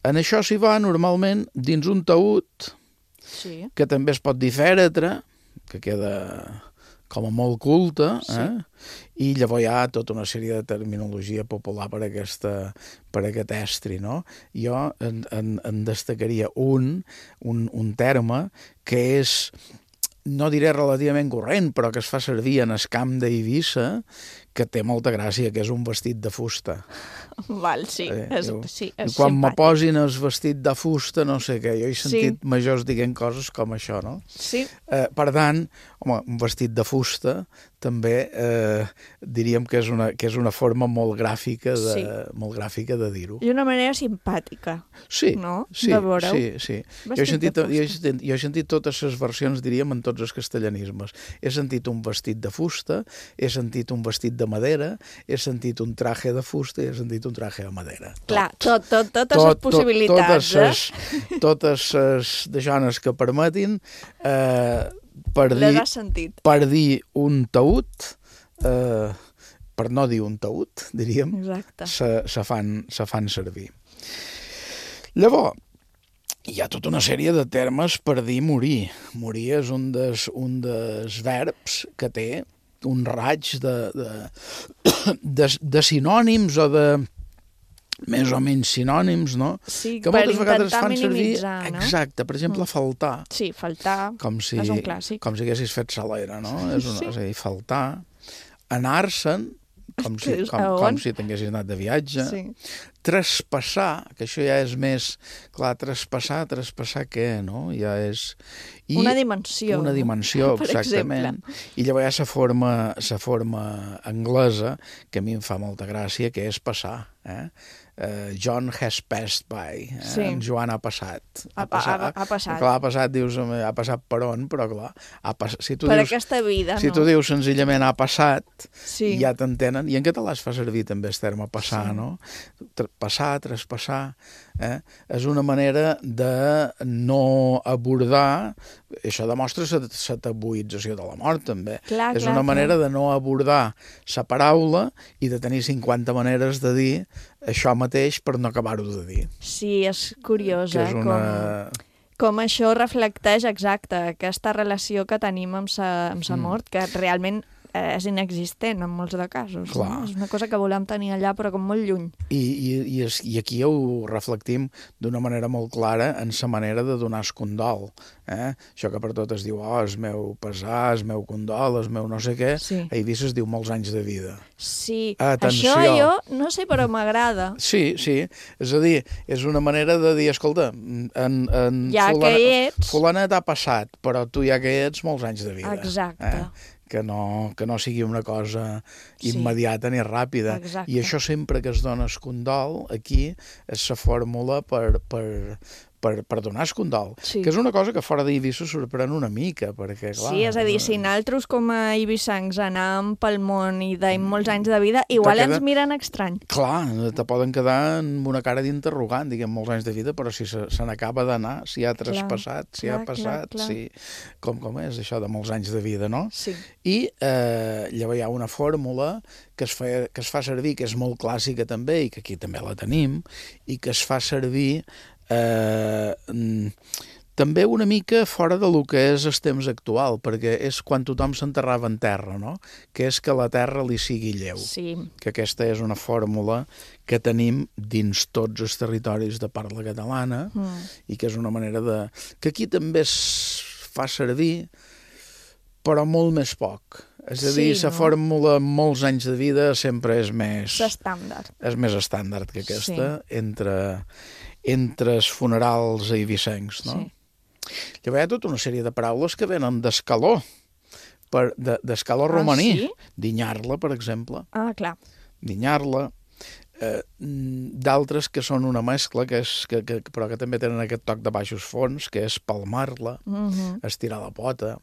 en això s'hi va normalment dins un taüt, sí. que també es pot dir fèretre, que queda com a molt culte, sí. eh? I llavors hi ha tota una sèrie de terminologia popular per, aquesta, per aquest estri, no? Jo en, en, en destacaria un, un, un terme que és, no diré relativament corrent, però que es fa servir en el camp d'Eivissa, que té molta gràcia, que és un vestit de fusta. Val, sí, Eh, és, diu, sí, és quan me simpàtic. posin el vestit de fusta, no sé què, jo he sentit Sí. majors dient coses com això, no? Sí. Eh, per tant, home, un vestit de fusta també eh, diríem que és, una, que és una forma molt gràfica de, Sí. molt gràfica de dir-ho. I una manera simpàtica, Sí, no? sí, de veure-ho. sí, sí. Jo he, Vestit sentit, de jo, he fusta. sentit, jo he sentit totes les versions, diríem, en tots els castellanismes. He sentit un vestit de fusta, he sentit un vestit de madera, he sentit un traje de fusta i he sentit un traje de madera. Clar, tot, tot, totes les possibilitats, totes ses, totes les deixones que permetin, eh, per, Les dir, has sentit. per dir un taüt, eh, per no dir un taüt, diríem, Exacte. se, se, fan, se fan servir. Llavors, hi ha tota una sèrie de termes per dir morir. Morir és un dels, un dels verbs que té un raig de, de, de, de sinònims o de més o menys sinònims, no? Sí, que per moltes vegades intentar fan servir, minimitzar, no? Exacte, per exemple, Mm. faltar. Sí, faltar Com si, és un clàssic. com si haguessis fet salera, no? És, una, Sí. és a dir, faltar. Anar-se'n, com si, Que és com, a on? com si tinguessis anat de viatge. Sí. Traspassar, que això ja és més... Clar, traspassar, traspassar què, no? Ja és... I Una dimensió. Una dimensió, per exactament. exemple. I llavors hi ha la forma, la forma anglesa, que a mi em fa molta gràcia, que és passar. Eh? Uh, John has passed by. Eh? Sí. En Joan ha passat. Ha- ha- ha passat. Clar, ha passat, dius, ha passat per on, però clar, ha pas... si tu Per dius, aquesta vida, si no? tu dius senzillament ha passat, Sí. ja t'entenen. I en català es fa servir també el terme passar, Sí. no? Tra- Passar, traspassar, eh? És una manera de no abordar, això demostra la tabuïtzació de la mort, també. Clar, És clar, una manera clar. de no abordar la paraula i de tenir cinquanta maneres de dir això mateix per no acabar-ho de dir. Sí, és curiós, Que eh? és una... Com, com això reflecteix, exacte, aquesta relació que tenim amb sa, amb sa Mm. mort, que realment eh, és inexistent en molts de casos. Clar. No? És una cosa que volem tenir allà, però com molt lluny. I, i, i, es, I aquí ho reflectim d'una manera molt clara en la manera de donar el condol. Eh? Això que per tot es diu, oh, el meu pesar, el meu condol, el meu no sé què, Sí. a Eivissa es diu molts anys de vida. Sí, Atenció. això jo no sé, però m'agrada. Sí, sí, és a dir, és una manera de dir, escolta, en, en Ja que hi ets. fulanet ha passat, però tu ja que hi ets molts anys de vida. Exacte. Eh? Que no, que no sigui una cosa Sí. immediata ni ràpida. Exacte. I això sempre que es dona el condol, aquí és la fórmula per, per, per, per donar el condol. Sí. Que és una cosa que fora d'Eivissa sorprèn una mica, perquè, clar... Sí, és a dir, si nosaltres com a eivissancs anàvem pel món i deim molts anys de vida, igual queda- ens miren estrany. Clar, te poden quedar amb una cara d'interrogant, diguem, molts anys de vida, però si se, se n'acaba d'anar, si ha traspassat, si clar, ha passat, clar, clar. si... Com, com és això de molts anys de vida, no? Sí. I eh, llavors hi ha una fórmula que es, fa, que es fa servir, que és molt clàssica també, i que aquí també la tenim, i que es fa servir eh, mm, també una mica fora de lo que és el temps actual, perquè és quan tothom s'enterrava en terra, no? Que és que la terra li sigui lleu. Sí. Que aquesta és una fórmula que tenim dins tots els territoris de parla catalana Mm. i que és una manera de... que aquí també es fa servir, però molt més poc. És a dir, Sí, la no? fórmula amb molts anys de vida sempre és més... L'estàndard. És més estàndard que aquesta entre, entre els funerals eivissencs, no? Sí. Llavors hi ha tota una sèrie de paraules que venen d'escaló, per, de, d'escaló Ah, romaní. sí? Dinyar-la, per exemple. Ah, clar. Dinyar-la. Eh, d'altres que són una mescla, que és, que, que, però que també tenen aquest toc de baixos fons, que és palmar-la, Mhm. estirar la pota,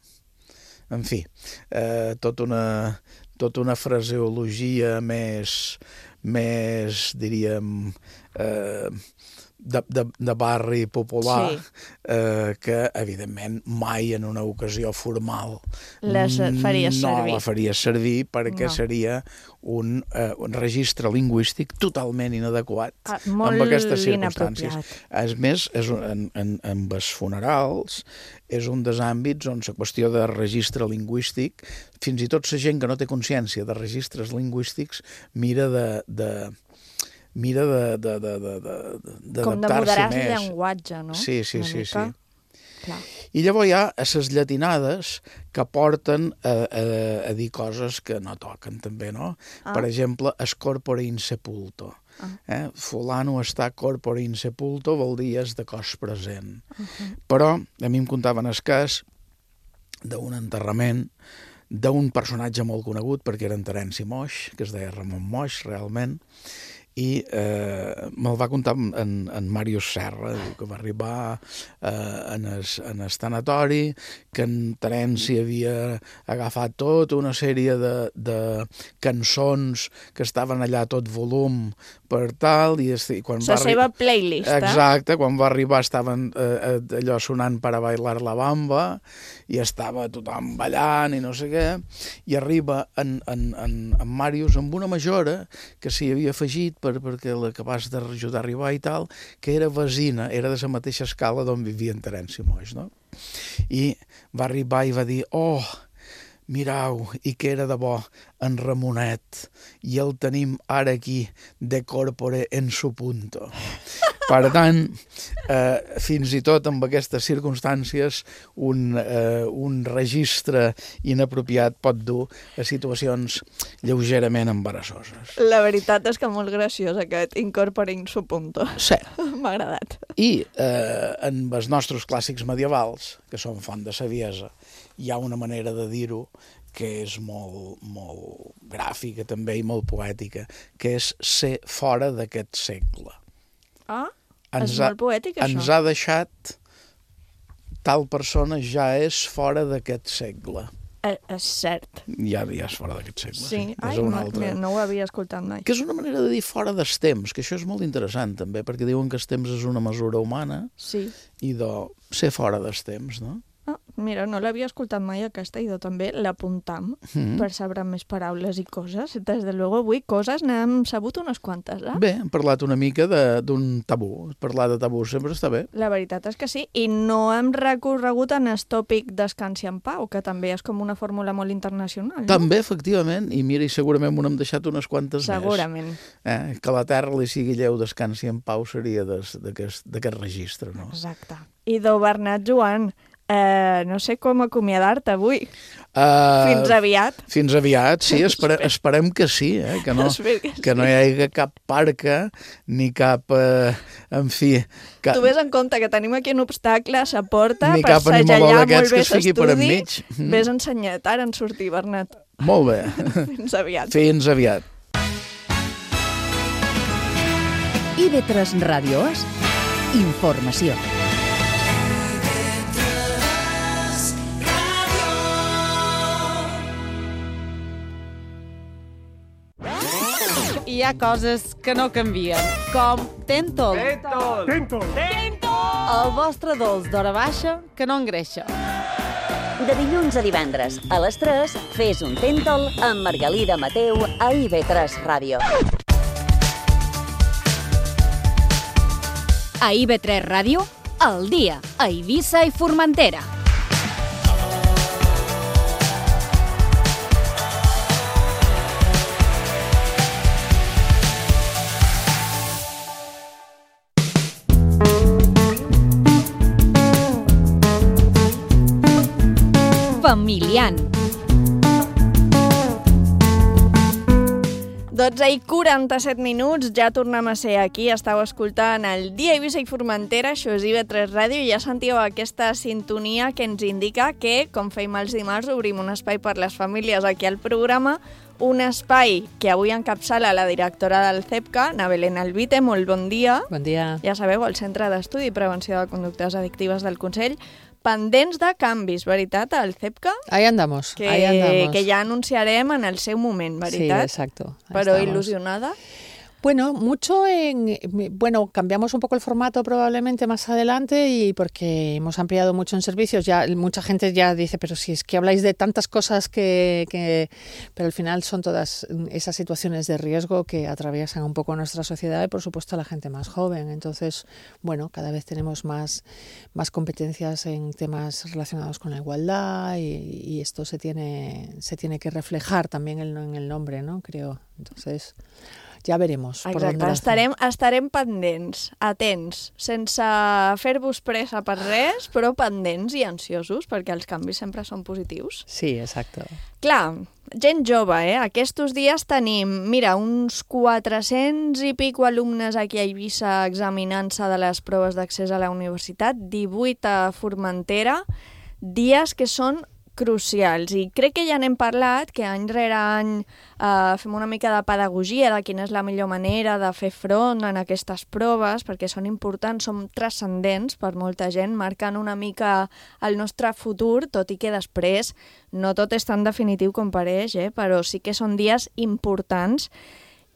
en fi, eh, tota una, tota una fraseologia més, més diríem, eh, de, de, de barri popular, Sí. eh, que, evidentment, mai en una ocasió formal Les faries no servir. la faries servir perquè No. seria un, eh, un registre lingüístic totalment inadequat Ah, molt amb aquestes circumstàncies. inapropiat. És més, és un, en, en, en els funerals és un dels àmbits on la qüestió de registre lingüístic, fins i tot la gent que no té consciència de registres lingüístics mira de... de mira de, de, de, de, de, Com de d'adaptar-s'hi moderar el més. llenguatge, no? Sí, sí, Una sí, mica. sí. Clar. I llavors hi ha les llatinades que porten a, a, a dir coses que no toquen, també, no? Ah. Per exemple, es corpore in sepulto. Ah. Eh? Fulano està corpore in sepulto vol dir és de cos present. Uh -huh. Però a mi em contaven el cas d'un enterrament d'un personatge molt conegut, perquè era en Terenci Moix, que es deia Ramon Moix, realment, i eh, me'l va contar en, en Màrius Serra, que va arribar eh, en, es, en el tanatori, que en Terenci havia agafat tota una sèrie de, de cançons que estaven allà a tot volum per tal, i, i quan la va seva playlist, eh? Exacte, quan va arribar estaven eh, allò sonant per a bailar la bamba, i estava tothom ballant i no sé què, i arriba en, en, en, en Màrius amb una majora que s'hi havia afegit per, perquè l'acabàs d'ajudar a arribar i tal, que era vesina, era de la mateixa escala d'on vivia en Terenci Moix, no? I va arribar i va dir, oh, mirau, i que era de bo en Ramonet, i el tenim ara aquí de corpore en su punto. Per tant, eh, fins i tot amb aquestes circumstàncies, un, eh, un registre inapropiat pot dur a situacions lleugerament embarassoses. La veritat és que molt graciós aquest incorporing su punto. Sí. M'ha agradat. I eh, en els nostres clàssics medievals, que són font de saviesa, hi ha una manera de dir-ho que és molt, molt gràfica també i molt poètica, que és ser fora d'aquest segle. Ah, ens és ha, molt poètic, això. Ens ha deixat tal persona ja és fora d'aquest segle. Eh, és cert. Ja, ja és fora d'aquest segle. Sí, sí. ai, no, altre... no ho havia escoltat mai. Que és una manera de dir fora dels temps, que això és molt interessant també, perquè diuen que el temps és una mesura humana, sí. I de ser fora dels temps, no? Ah, mira, no l'havia escoltat mai aquesta i també l'apuntam mm-hmm. per saber més paraules i coses. Des de luego avui coses n'hem sabut unes quantes, eh? Bé, hem parlat una mica d'un tabú. Parlar de tabú sempre està bé. La veritat és que sí, i no hem recorregut en el tòpic Descansi en pau, que també és com una fórmula molt internacional, no? També, efectivament, i mira, i segurament m'ho hem deixat unes quantes segurament. més. Segurament. Eh? Que la terra li sigui lleu, descansi en pau, seria d'aquest registre, no? Exacte. I do Bernat Joan, Uh, no sé com acomiadar-te avui. Uh, fins aviat. Fins aviat, sí, espere, esperem que sí, eh? que, no, que no hi hagi cap parca ni cap, uh, en fi... Cap... Tu ves en compte que tenim aquí un obstacle a la porta ni per segellar molt bé l'estudi. Ves ensenyat, ara en sortir, Bernat. Molt bé. Fins aviat. Fins aviat. I ve tres Ràdio és informació. Hi ha coses que no canvien, com Tentol. Tentol! Tentol! Tentol! El vostre dolç d'hora baixa que no engreixa. De dilluns a divendres, a les tres, fes un Tentol amb Margalida Mateu a I V tres Ràdio. A I V tres Ràdio, al dia, a Eivissa i Formentera. Familian. dotze i quaranta-set minuts, ja tornem a ser aquí, estàu escoltant el Dia Eivissa i Formentera, això és I V tres Ràdio, i ja sentíeu aquesta sintonia que ens indica que, com feim els dimarts, obrim un espai per les famílies aquí al programa, un espai que avui encapçala la directora del C E P C A, Ana Belén Albite. Molt bon dia. Bon dia. Ja sabeu, el Centre d'Estudi i Prevenció de Conductes Addictives del Consell, pendents de canvis, veritat, al C E P C A? Ahí andamos, que, ahí andamos. Que ja anunciarem en el seu moment, veritat? Sí, exacto. Però estamos. ilusionada. Bueno, mucho en... Bueno, cambiamos un poco el formato probablemente más adelante y porque hemos ampliado mucho en servicios. Ya mucha gente ya dice, pero si es que habláis de tantas cosas que... que... Pero al final son todas esas situaciones de riesgo que atraviesan un poco nuestra sociedad y, por supuesto, a la gente más joven. Entonces, bueno, cada vez tenemos más, más competencias en temas relacionados con la igualdad y, y esto se tiene, se tiene que reflejar también en, en el nombre, ¿no? Creo. Entonces... ya veremos. Por Exacte, dónde estarem, estarem pendents, atents, sense fer-vos pressa per res, però pendents i ansiosos, perquè els canvis sempre són positius. Sí, exacte. Clar, gent jove, eh? Aquests dies tenim, mira, uns quatre-cents i pico alumnes aquí a Eivissa examinant-se de les proves d'accés a la universitat, divuit a Formentera, dies que són crucials. I crec que ja n'hem parlat, que any rere any eh, fem una mica de pedagogia de quina és la millor manera de fer front en aquestes proves, perquè són importants, són transcendents per molta gent, marquen una mica el nostre futur, tot i que després no tot és tan definitiu com pareix, eh? Però sí que són dies importants,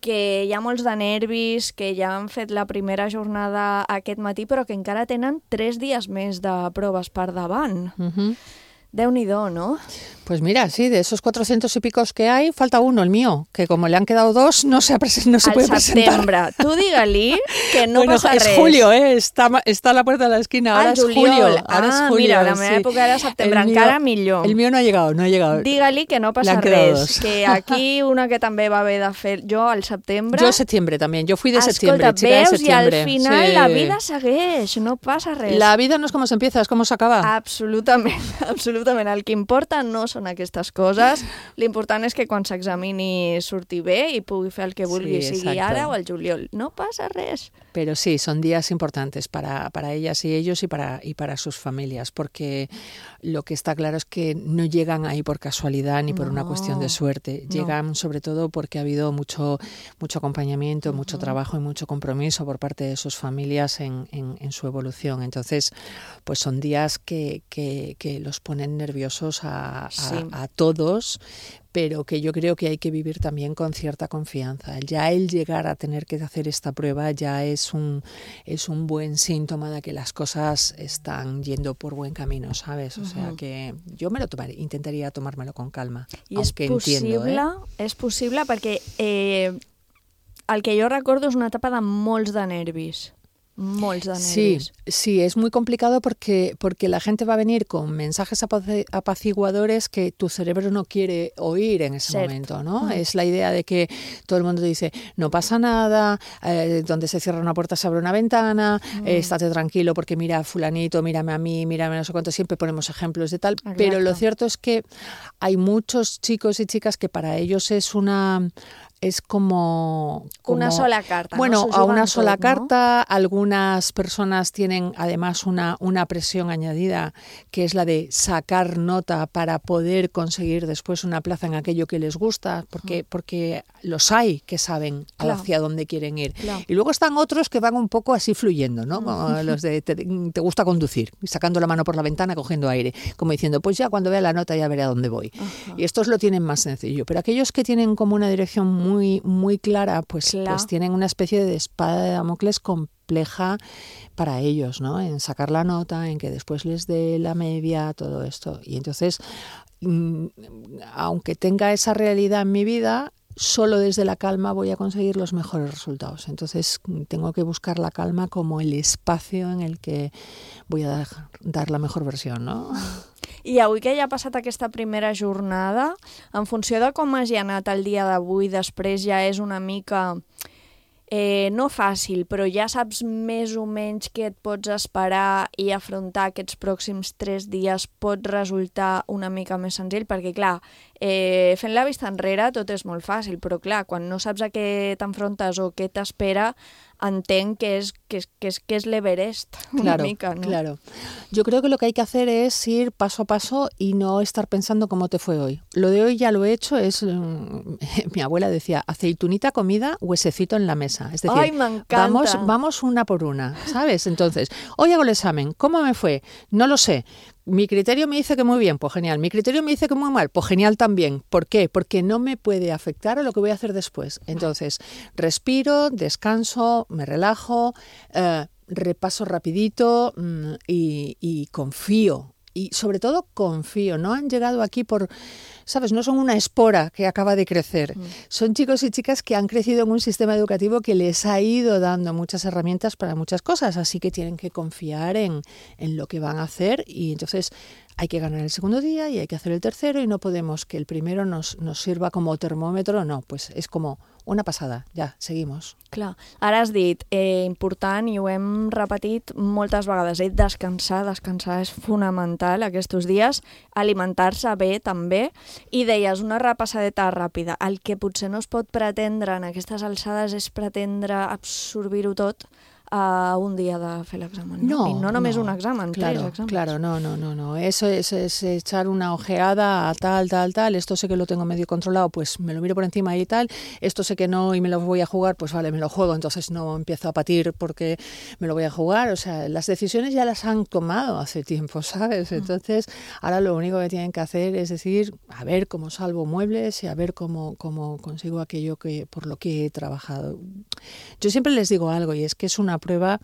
que hi ha molts de nervis, que ja han fet la primera jornada aquest matí, però que encara tenen tres dies més de proves per davant. Uh-huh. Déu-n'hi-do, ¿no? Pues mira, sí, de esos cuatrocientos y picos que hay, falta uno, el mío, que como le han quedado dos, no se, no se puede presentar. Al setembre. Tu digue-li que no bueno, passa es res. julio, ¿eh? Está, está a la puerta de la esquina, ahora ah, es julio. Ahora ah, es julio, mira, la meva sí. època era setembre, el encara mío, millor. El mío no ha llegado, no ha llegado. Digue-li que no passa res, dos. Que aquí una que també va haver de fer jo al setembre... Yo septiembre también, yo fui de Escolta, septiembre, chica de septiembre. I al final sí. la vida segueix, no passa res. La vida no es como se empieza, es como se acaba. Absolutament, absolutament. El que importa no són aquestes coses. L'important és que quan s'examini surti bé i pugui fer el que vulgui, sí, sigui ara o al juliol. No pasa res. Pero sí, son días importantes para, para ellas y ellos y para, y para sus familias, porque lo que está claro es que no llegan ahí por casualidad ni por no, una cuestión de suerte. No. Llegan sobre todo porque ha habido mucho, mucho acompañamiento, uh-huh. mucho trabajo y mucho compromiso por parte de sus familias en, en, en su evolución. Entonces, pues son días que, que, que los ponen nerviosos a, a, sí. a todos, pero que yo creo que hay que vivir también con cierta confianza. Ya el llegar a tener que hacer esta prueba ya es un, es un buen síntoma de que las cosas están yendo por buen camino, ¿sabes? O uh-huh. sea que yo me lo tomaré, intentaría tomármelo con calma. I és possible, entiendo, eh? és possible perquè eh, el que jo recordo és una etapa de molts de nervis. Molts de nervis. Sí, sí, es muy complicado porque, porque la gente va a venir con mensajes apaciguadores que tu cerebro no quiere oír en ese Cert. momento, ¿no? Mm. Es la idea de que todo el mundo dice, no pasa nada, eh, donde se cierra una puerta se abre una ventana, mm. eh, estate tranquilo porque mira fulanito, mírame a mí, mírame no sé cuánto, siempre ponemos ejemplos de tal, Exacto. pero lo cierto es que hay muchos chicos y chicas que para ellos es una... es como, como... Una sola carta. Bueno, ¿no? a una sola tot, carta. ¿no? Algunas personas tienen además una, una presión añadida, que es la de sacar nota para poder conseguir después una plaza en aquello que les gusta, porque, porque los hay que saben claro. hacia dónde quieren ir. Claro. Y luego están otros que van un poco así fluyendo, ¿no? Como los de te, te gusta conducir, sacando la mano por la ventana, cogiendo aire, como diciendo, pues ya cuando vea la nota ya veré a dónde voy. Ajá. Y estos lo tienen más sencillo. Pero aquellos que tienen como una dirección muy, muy clara, pues, claro. pues tienen una especie de espada de Damocles compleja para ellos, ¿no? En sacar la nota, en que después les dé la media, todo esto. Y entonces, mmm, aunque tenga esa realidad en mi vida, solo desde la calma voy a conseguir los mejores resultados. Entonces tengo que buscar la calma como el espacio en el que voy a dar, dar la mejor versión, ¿no? I avui que ja ha passat aquesta primera jornada, en funció de com hagi anat el dia d'avui, després ja és una mica, eh, no fàcil, però ja saps més o menys què et pots esperar i afrontar aquests pròxims tres dies pot resultar una mica més senzill, perquè clar, eh, fent la vista enrere tot és molt fàcil, però clar, quan no saps a què t'enfrontes o què t'espera, entenc que es, que es, que es, que es l'Everest, una claro, mica, ¿no? Claro. Yo creo que lo que hay que hacer es ir paso a paso y no estar pensando cómo te fue hoy. Lo de hoy ya lo he hecho, es um, mi abuela decía, aceitunita comida, huesecito en la mesa. Es decir, Ay, me encanta. vamos, vamos una por una, ¿sabes? Entonces, hoy hago el examen, ¿cómo me fue? No lo sé. Mi criterio me dice que muy bien, pues genial. Mi criterio me dice que muy mal, pues genial también. ¿Por qué? Porque no me puede afectar a lo que voy a hacer después. Entonces, respiro, descanso, me relajo, eh, repaso rapidito mmm, y, y confío. Y sobre todo confío. No han llegado aquí por... ¿sabes? No son una espora que acaba de crecer. Mm. Son chicos y chicas que han crecido en un sistema educativo que les ha ido dando muchas herramientas para muchas cosas, así que tienen que confiar en, en lo que van a hacer y entonces hay que ganar el segundo día y hay que hacer el tercero y no podemos que el primero nos, nos sirva como termòmetre, no, pues és com una passada, ja, seguimos. Clar, ara has dit, eh, important i ho hem repetit moltes vegades, eh, descansar, descansar és fonamental aquests dies, alimentar-se bé també, i deies una repassadeta ràpida, el que potser no es pot pretendre en aquestes alçades és pretendre absorbir-ho tot a un día de fer l'examen. No, y no només no, un examen, claro, tres exámenes. Claro, no, no, no, no. Eso es, es echar una ojeada a tal, tal, tal. Esto sé que lo tengo medio controlado, pues me lo miro por encima y tal. Esto sé que no y me lo voy a jugar, pues vale, me lo juego. Entonces no empiezo a patir porque me lo voy a jugar. O sea, las decisiones ya las han tomado hace tiempo, ¿sabes? Entonces, ahora lo único que tienen que hacer es decir, a ver cómo salvo muebles y a ver cómo, cómo consigo aquello que por lo que he trabajado. Yo siempre les digo algo y es que es una prueba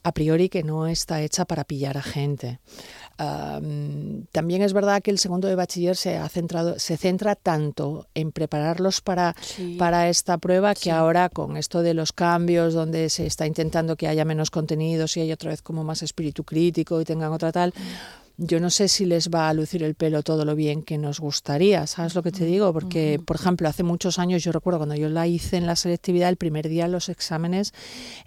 a priori que no está hecha para pillar a gente. Um, también es verdad que el segundo de bachiller se ha centrado, se centra tanto en prepararlos para, sí. para esta prueba que sí. ahora con esto de los cambios donde se está intentando que haya menos contenidos y haya otra vez como más espíritu crítico y tengan otra tal, yo no sé si les va a lucir el pelo todo lo bien que nos gustaría, ¿sabes lo que te digo? Porque, por ejemplo, hace muchos años, yo recuerdo cuando yo la hice en la selectividad, el primer día los exámenes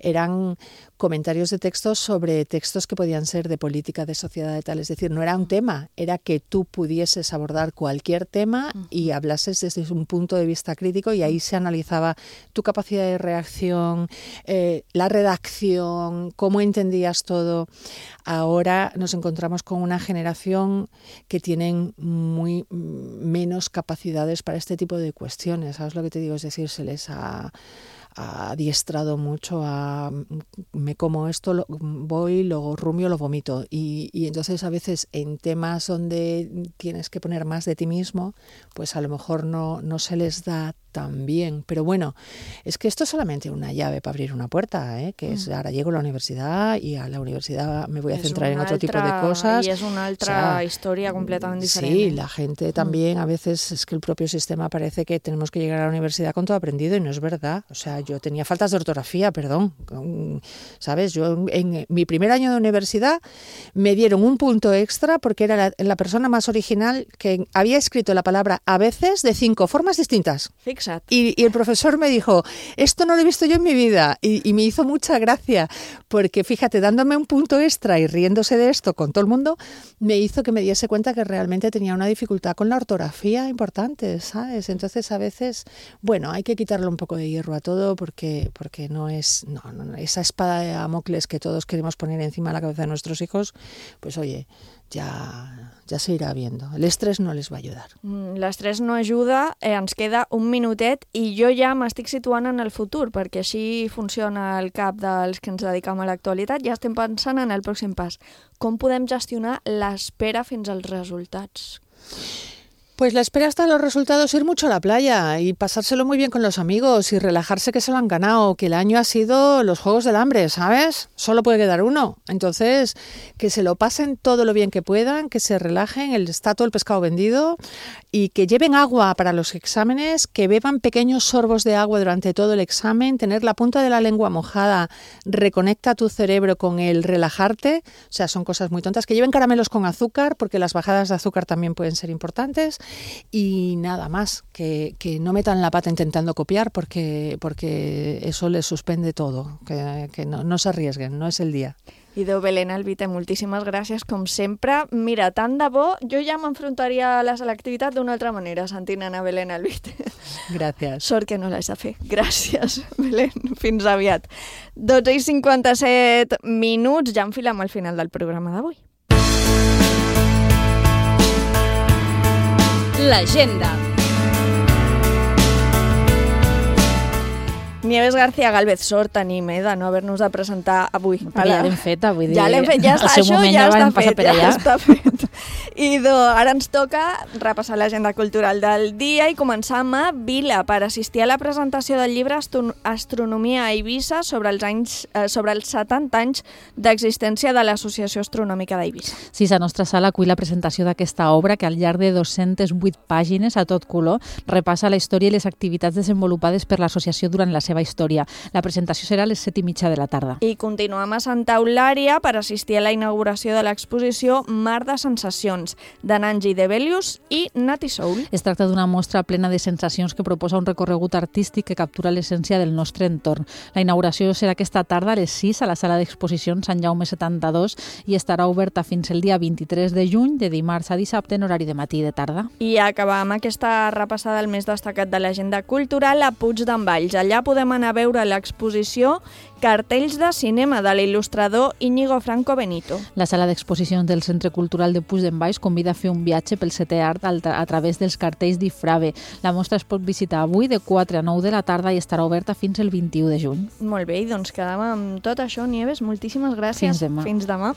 eran comentarios de textos sobre textos que podían ser de política, de sociedad, de tal. Es decir, no era un tema, era que tú pudieses abordar cualquier tema y hablases desde un punto de vista crítico y ahí se analizaba tu capacidad de reacción, eh, la redacción, cómo entendías todo. Ahora nos encontramos con una generación que tienen muy menos capacidades para este tipo de cuestiones. ¿Sabes lo que te digo? Es decir, se les ha... ha adiestrado mucho a me como esto, lo, voy, lo rumio, lo vomito y, y entonces a veces en temas donde tienes que poner más de ti mismo, pues a lo mejor no, no se les da tan bien, pero bueno, es que esto es solamente una llave para abrir una puerta, ¿eh? Que es, ahora llego a la universidad y a la universidad me voy a centrar en otro altra, tipo de cosas. Y es una otra o sea, historia completamente diferente. Sí, la gente también a veces es que el propio sistema parece que tenemos que llegar a la universidad con todo aprendido y no es verdad, o sea, yo tenía faltas de ortografía, perdón, ¿sabes? Yo en, en mi primer año de universidad me dieron un punto extra porque era la, la persona más original que había escrito la palabra a veces de cinco formas distintas. Y, y el profesor me dijo, esto no lo he visto yo en mi vida y, y me hizo mucha gracia porque fíjate, dándome un punto extra y riéndose de esto con todo el mundo, me hizo que me diese cuenta que realmente tenía una dificultad con la ortografía importante, ¿sabes? Entonces a veces, bueno, hay que quitarle un poco de hierro a todo porque, porque no es no, no, esa espada de Damocles que todos queremos poner encima de la cabeza de nuestros hijos, pues oye, ja, ja se irà viendo. L'estrès no les va ajudar. L'estrès no ajuda, eh, ens queda un minutet i jo ja m'estic situant en el futur, perquè així funciona el cap dels que ens dedicam a l'actualitat. Ja estem pensant en el pròxim pas. Com podem gestionar l'espera fins als resultats? Pues la espera hasta los resultados, ir mucho a la playa y pasárselo muy bien con los amigos y relajarse que se lo han ganado, que el año ha sido los Juegos del Hambre, ¿sabes? Solo puede quedar uno. Entonces, que se lo pasen todo lo bien que puedan, que se relajen, el, está todo el pescado vendido y que lleven agua para los exámenes, que beban pequeños sorbos de agua durante todo el examen, tener la punta de la lengua mojada, reconecta tu cerebro con el relajarte, o sea, son cosas muy tontas, que lleven caramelos con azúcar, porque las bajadas de azúcar también pueden ser importantes. Y nada más, que, que no metan la pata intentando copiar porque, porque eso les suspende todo, que, que no, no se arriesguen, no es el día. I Déu, Belén Albite, moltíssimes gràcies, com sempre. Mira, tant de bo, jo ja m'enfrontaria a la selectivitat d'una altra manera, sentint Ana Belén Albite. Gràcies. Sort que no l'has de fer. Gràcies, Belén. Fins aviat. dotze i cinquanta-set minuts, ja enfilem al final del programa d'avui. L'agenda. Nieves García Gálvez, sort tenim, eh, de no haver-nos de presentar avui. Però ja l'hem fet, vull dir... Ja l'hem fet, ja està, al seu això moment ja, ja està vam passar fet, per allà. ja està fet. I do, ara ens toca repassar l'agenda cultural del dia i començar amb Vila per assistir a la presentació del llibre Astronomia a Eivissa sobre els, anys, eh, sobre els setanta anys d'existència de l'Associació Astronòmica d'Eivissa. Sí, la nostra sala acull la presentació d'aquesta obra que al llarg de dues-centes vuit pàgines a tot color repassa la història i les activitats desenvolupades per l'associació durant la seva història. La presentació serà a les set i mitja de la tarda. I continuem a Santa Eulària per assistir a la inauguració de l'exposició Mar de Sensacions, de Nanji Debelius i Nati Soul. Es tracta d'una mostra plena de sensacions que proposa un recorregut artístic que captura l'essència del nostre entorn. La inauguració serà aquesta tarda a les sis a la sala d'exposicions Sant Jaume setanta-dos i estarà oberta fins el dia vint-i-tres de juny, de dimarts a dissabte en horari de matí i de tarda. I acabar amb aquesta repassada del més destacat de l'agenda cultural a Puig d'en Valls. Allà podem anar a veure l'exposició Cartells de cinema de l'il·lustrador Íñigo Franco Benito. La sala d'exposicions del Centre Cultural de Puig d'en Valls convida a fer un viatge pel setè art a través dels cartells d'Ifrave. La mostra es pot visitar avui de quatre a nou de la tarda i estarà oberta fins el vint-i-u de juny. Molt bé, i doncs quedem amb tot això, Nieves. Moltíssimes gràcies. Fins demà. Fins demà.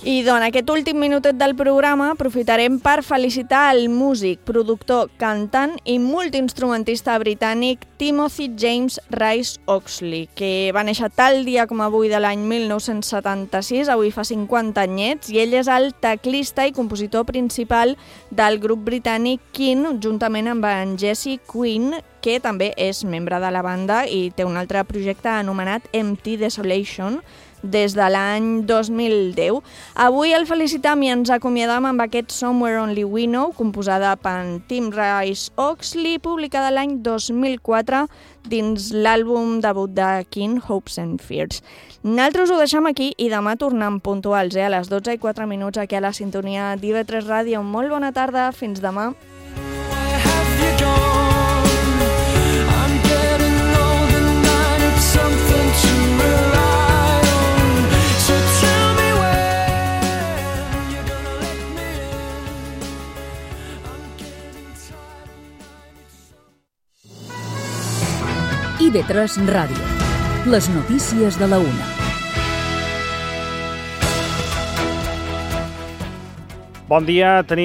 I doncs, aquest últim minutet del programa aprofitarem per felicitar el músic, productor, cantant i multiinstrumentista britànic Timothy James Rice Oxley, que va néixer tal dia com avui de l'any mil nou-cents setanta-sis, avui fa cinquanta anyets, i ell és el teclista i compositor principal del grup britànic King, juntament amb en Jesse Quinn, que també és membre de la banda i té un altre projecte anomenat Empty Desolation, des de l'any dos mil deu. Avui el felicitam i ens acomiadam amb aquest Somewhere Only We Know, composada per Tim Rice Oxley, publicada l'any dos mil quatre dins l'àlbum debut de King, Hopes and Fears. Nosaltres ho deixem aquí i demà tornem puntuals, eh, a les dotze i quatre minuts aquí a la sintonia d'I V tres Ràdio. Molt bona tarda, fins demà. I V tres Ràdio. Les notícies de la una. Bon dia, tenim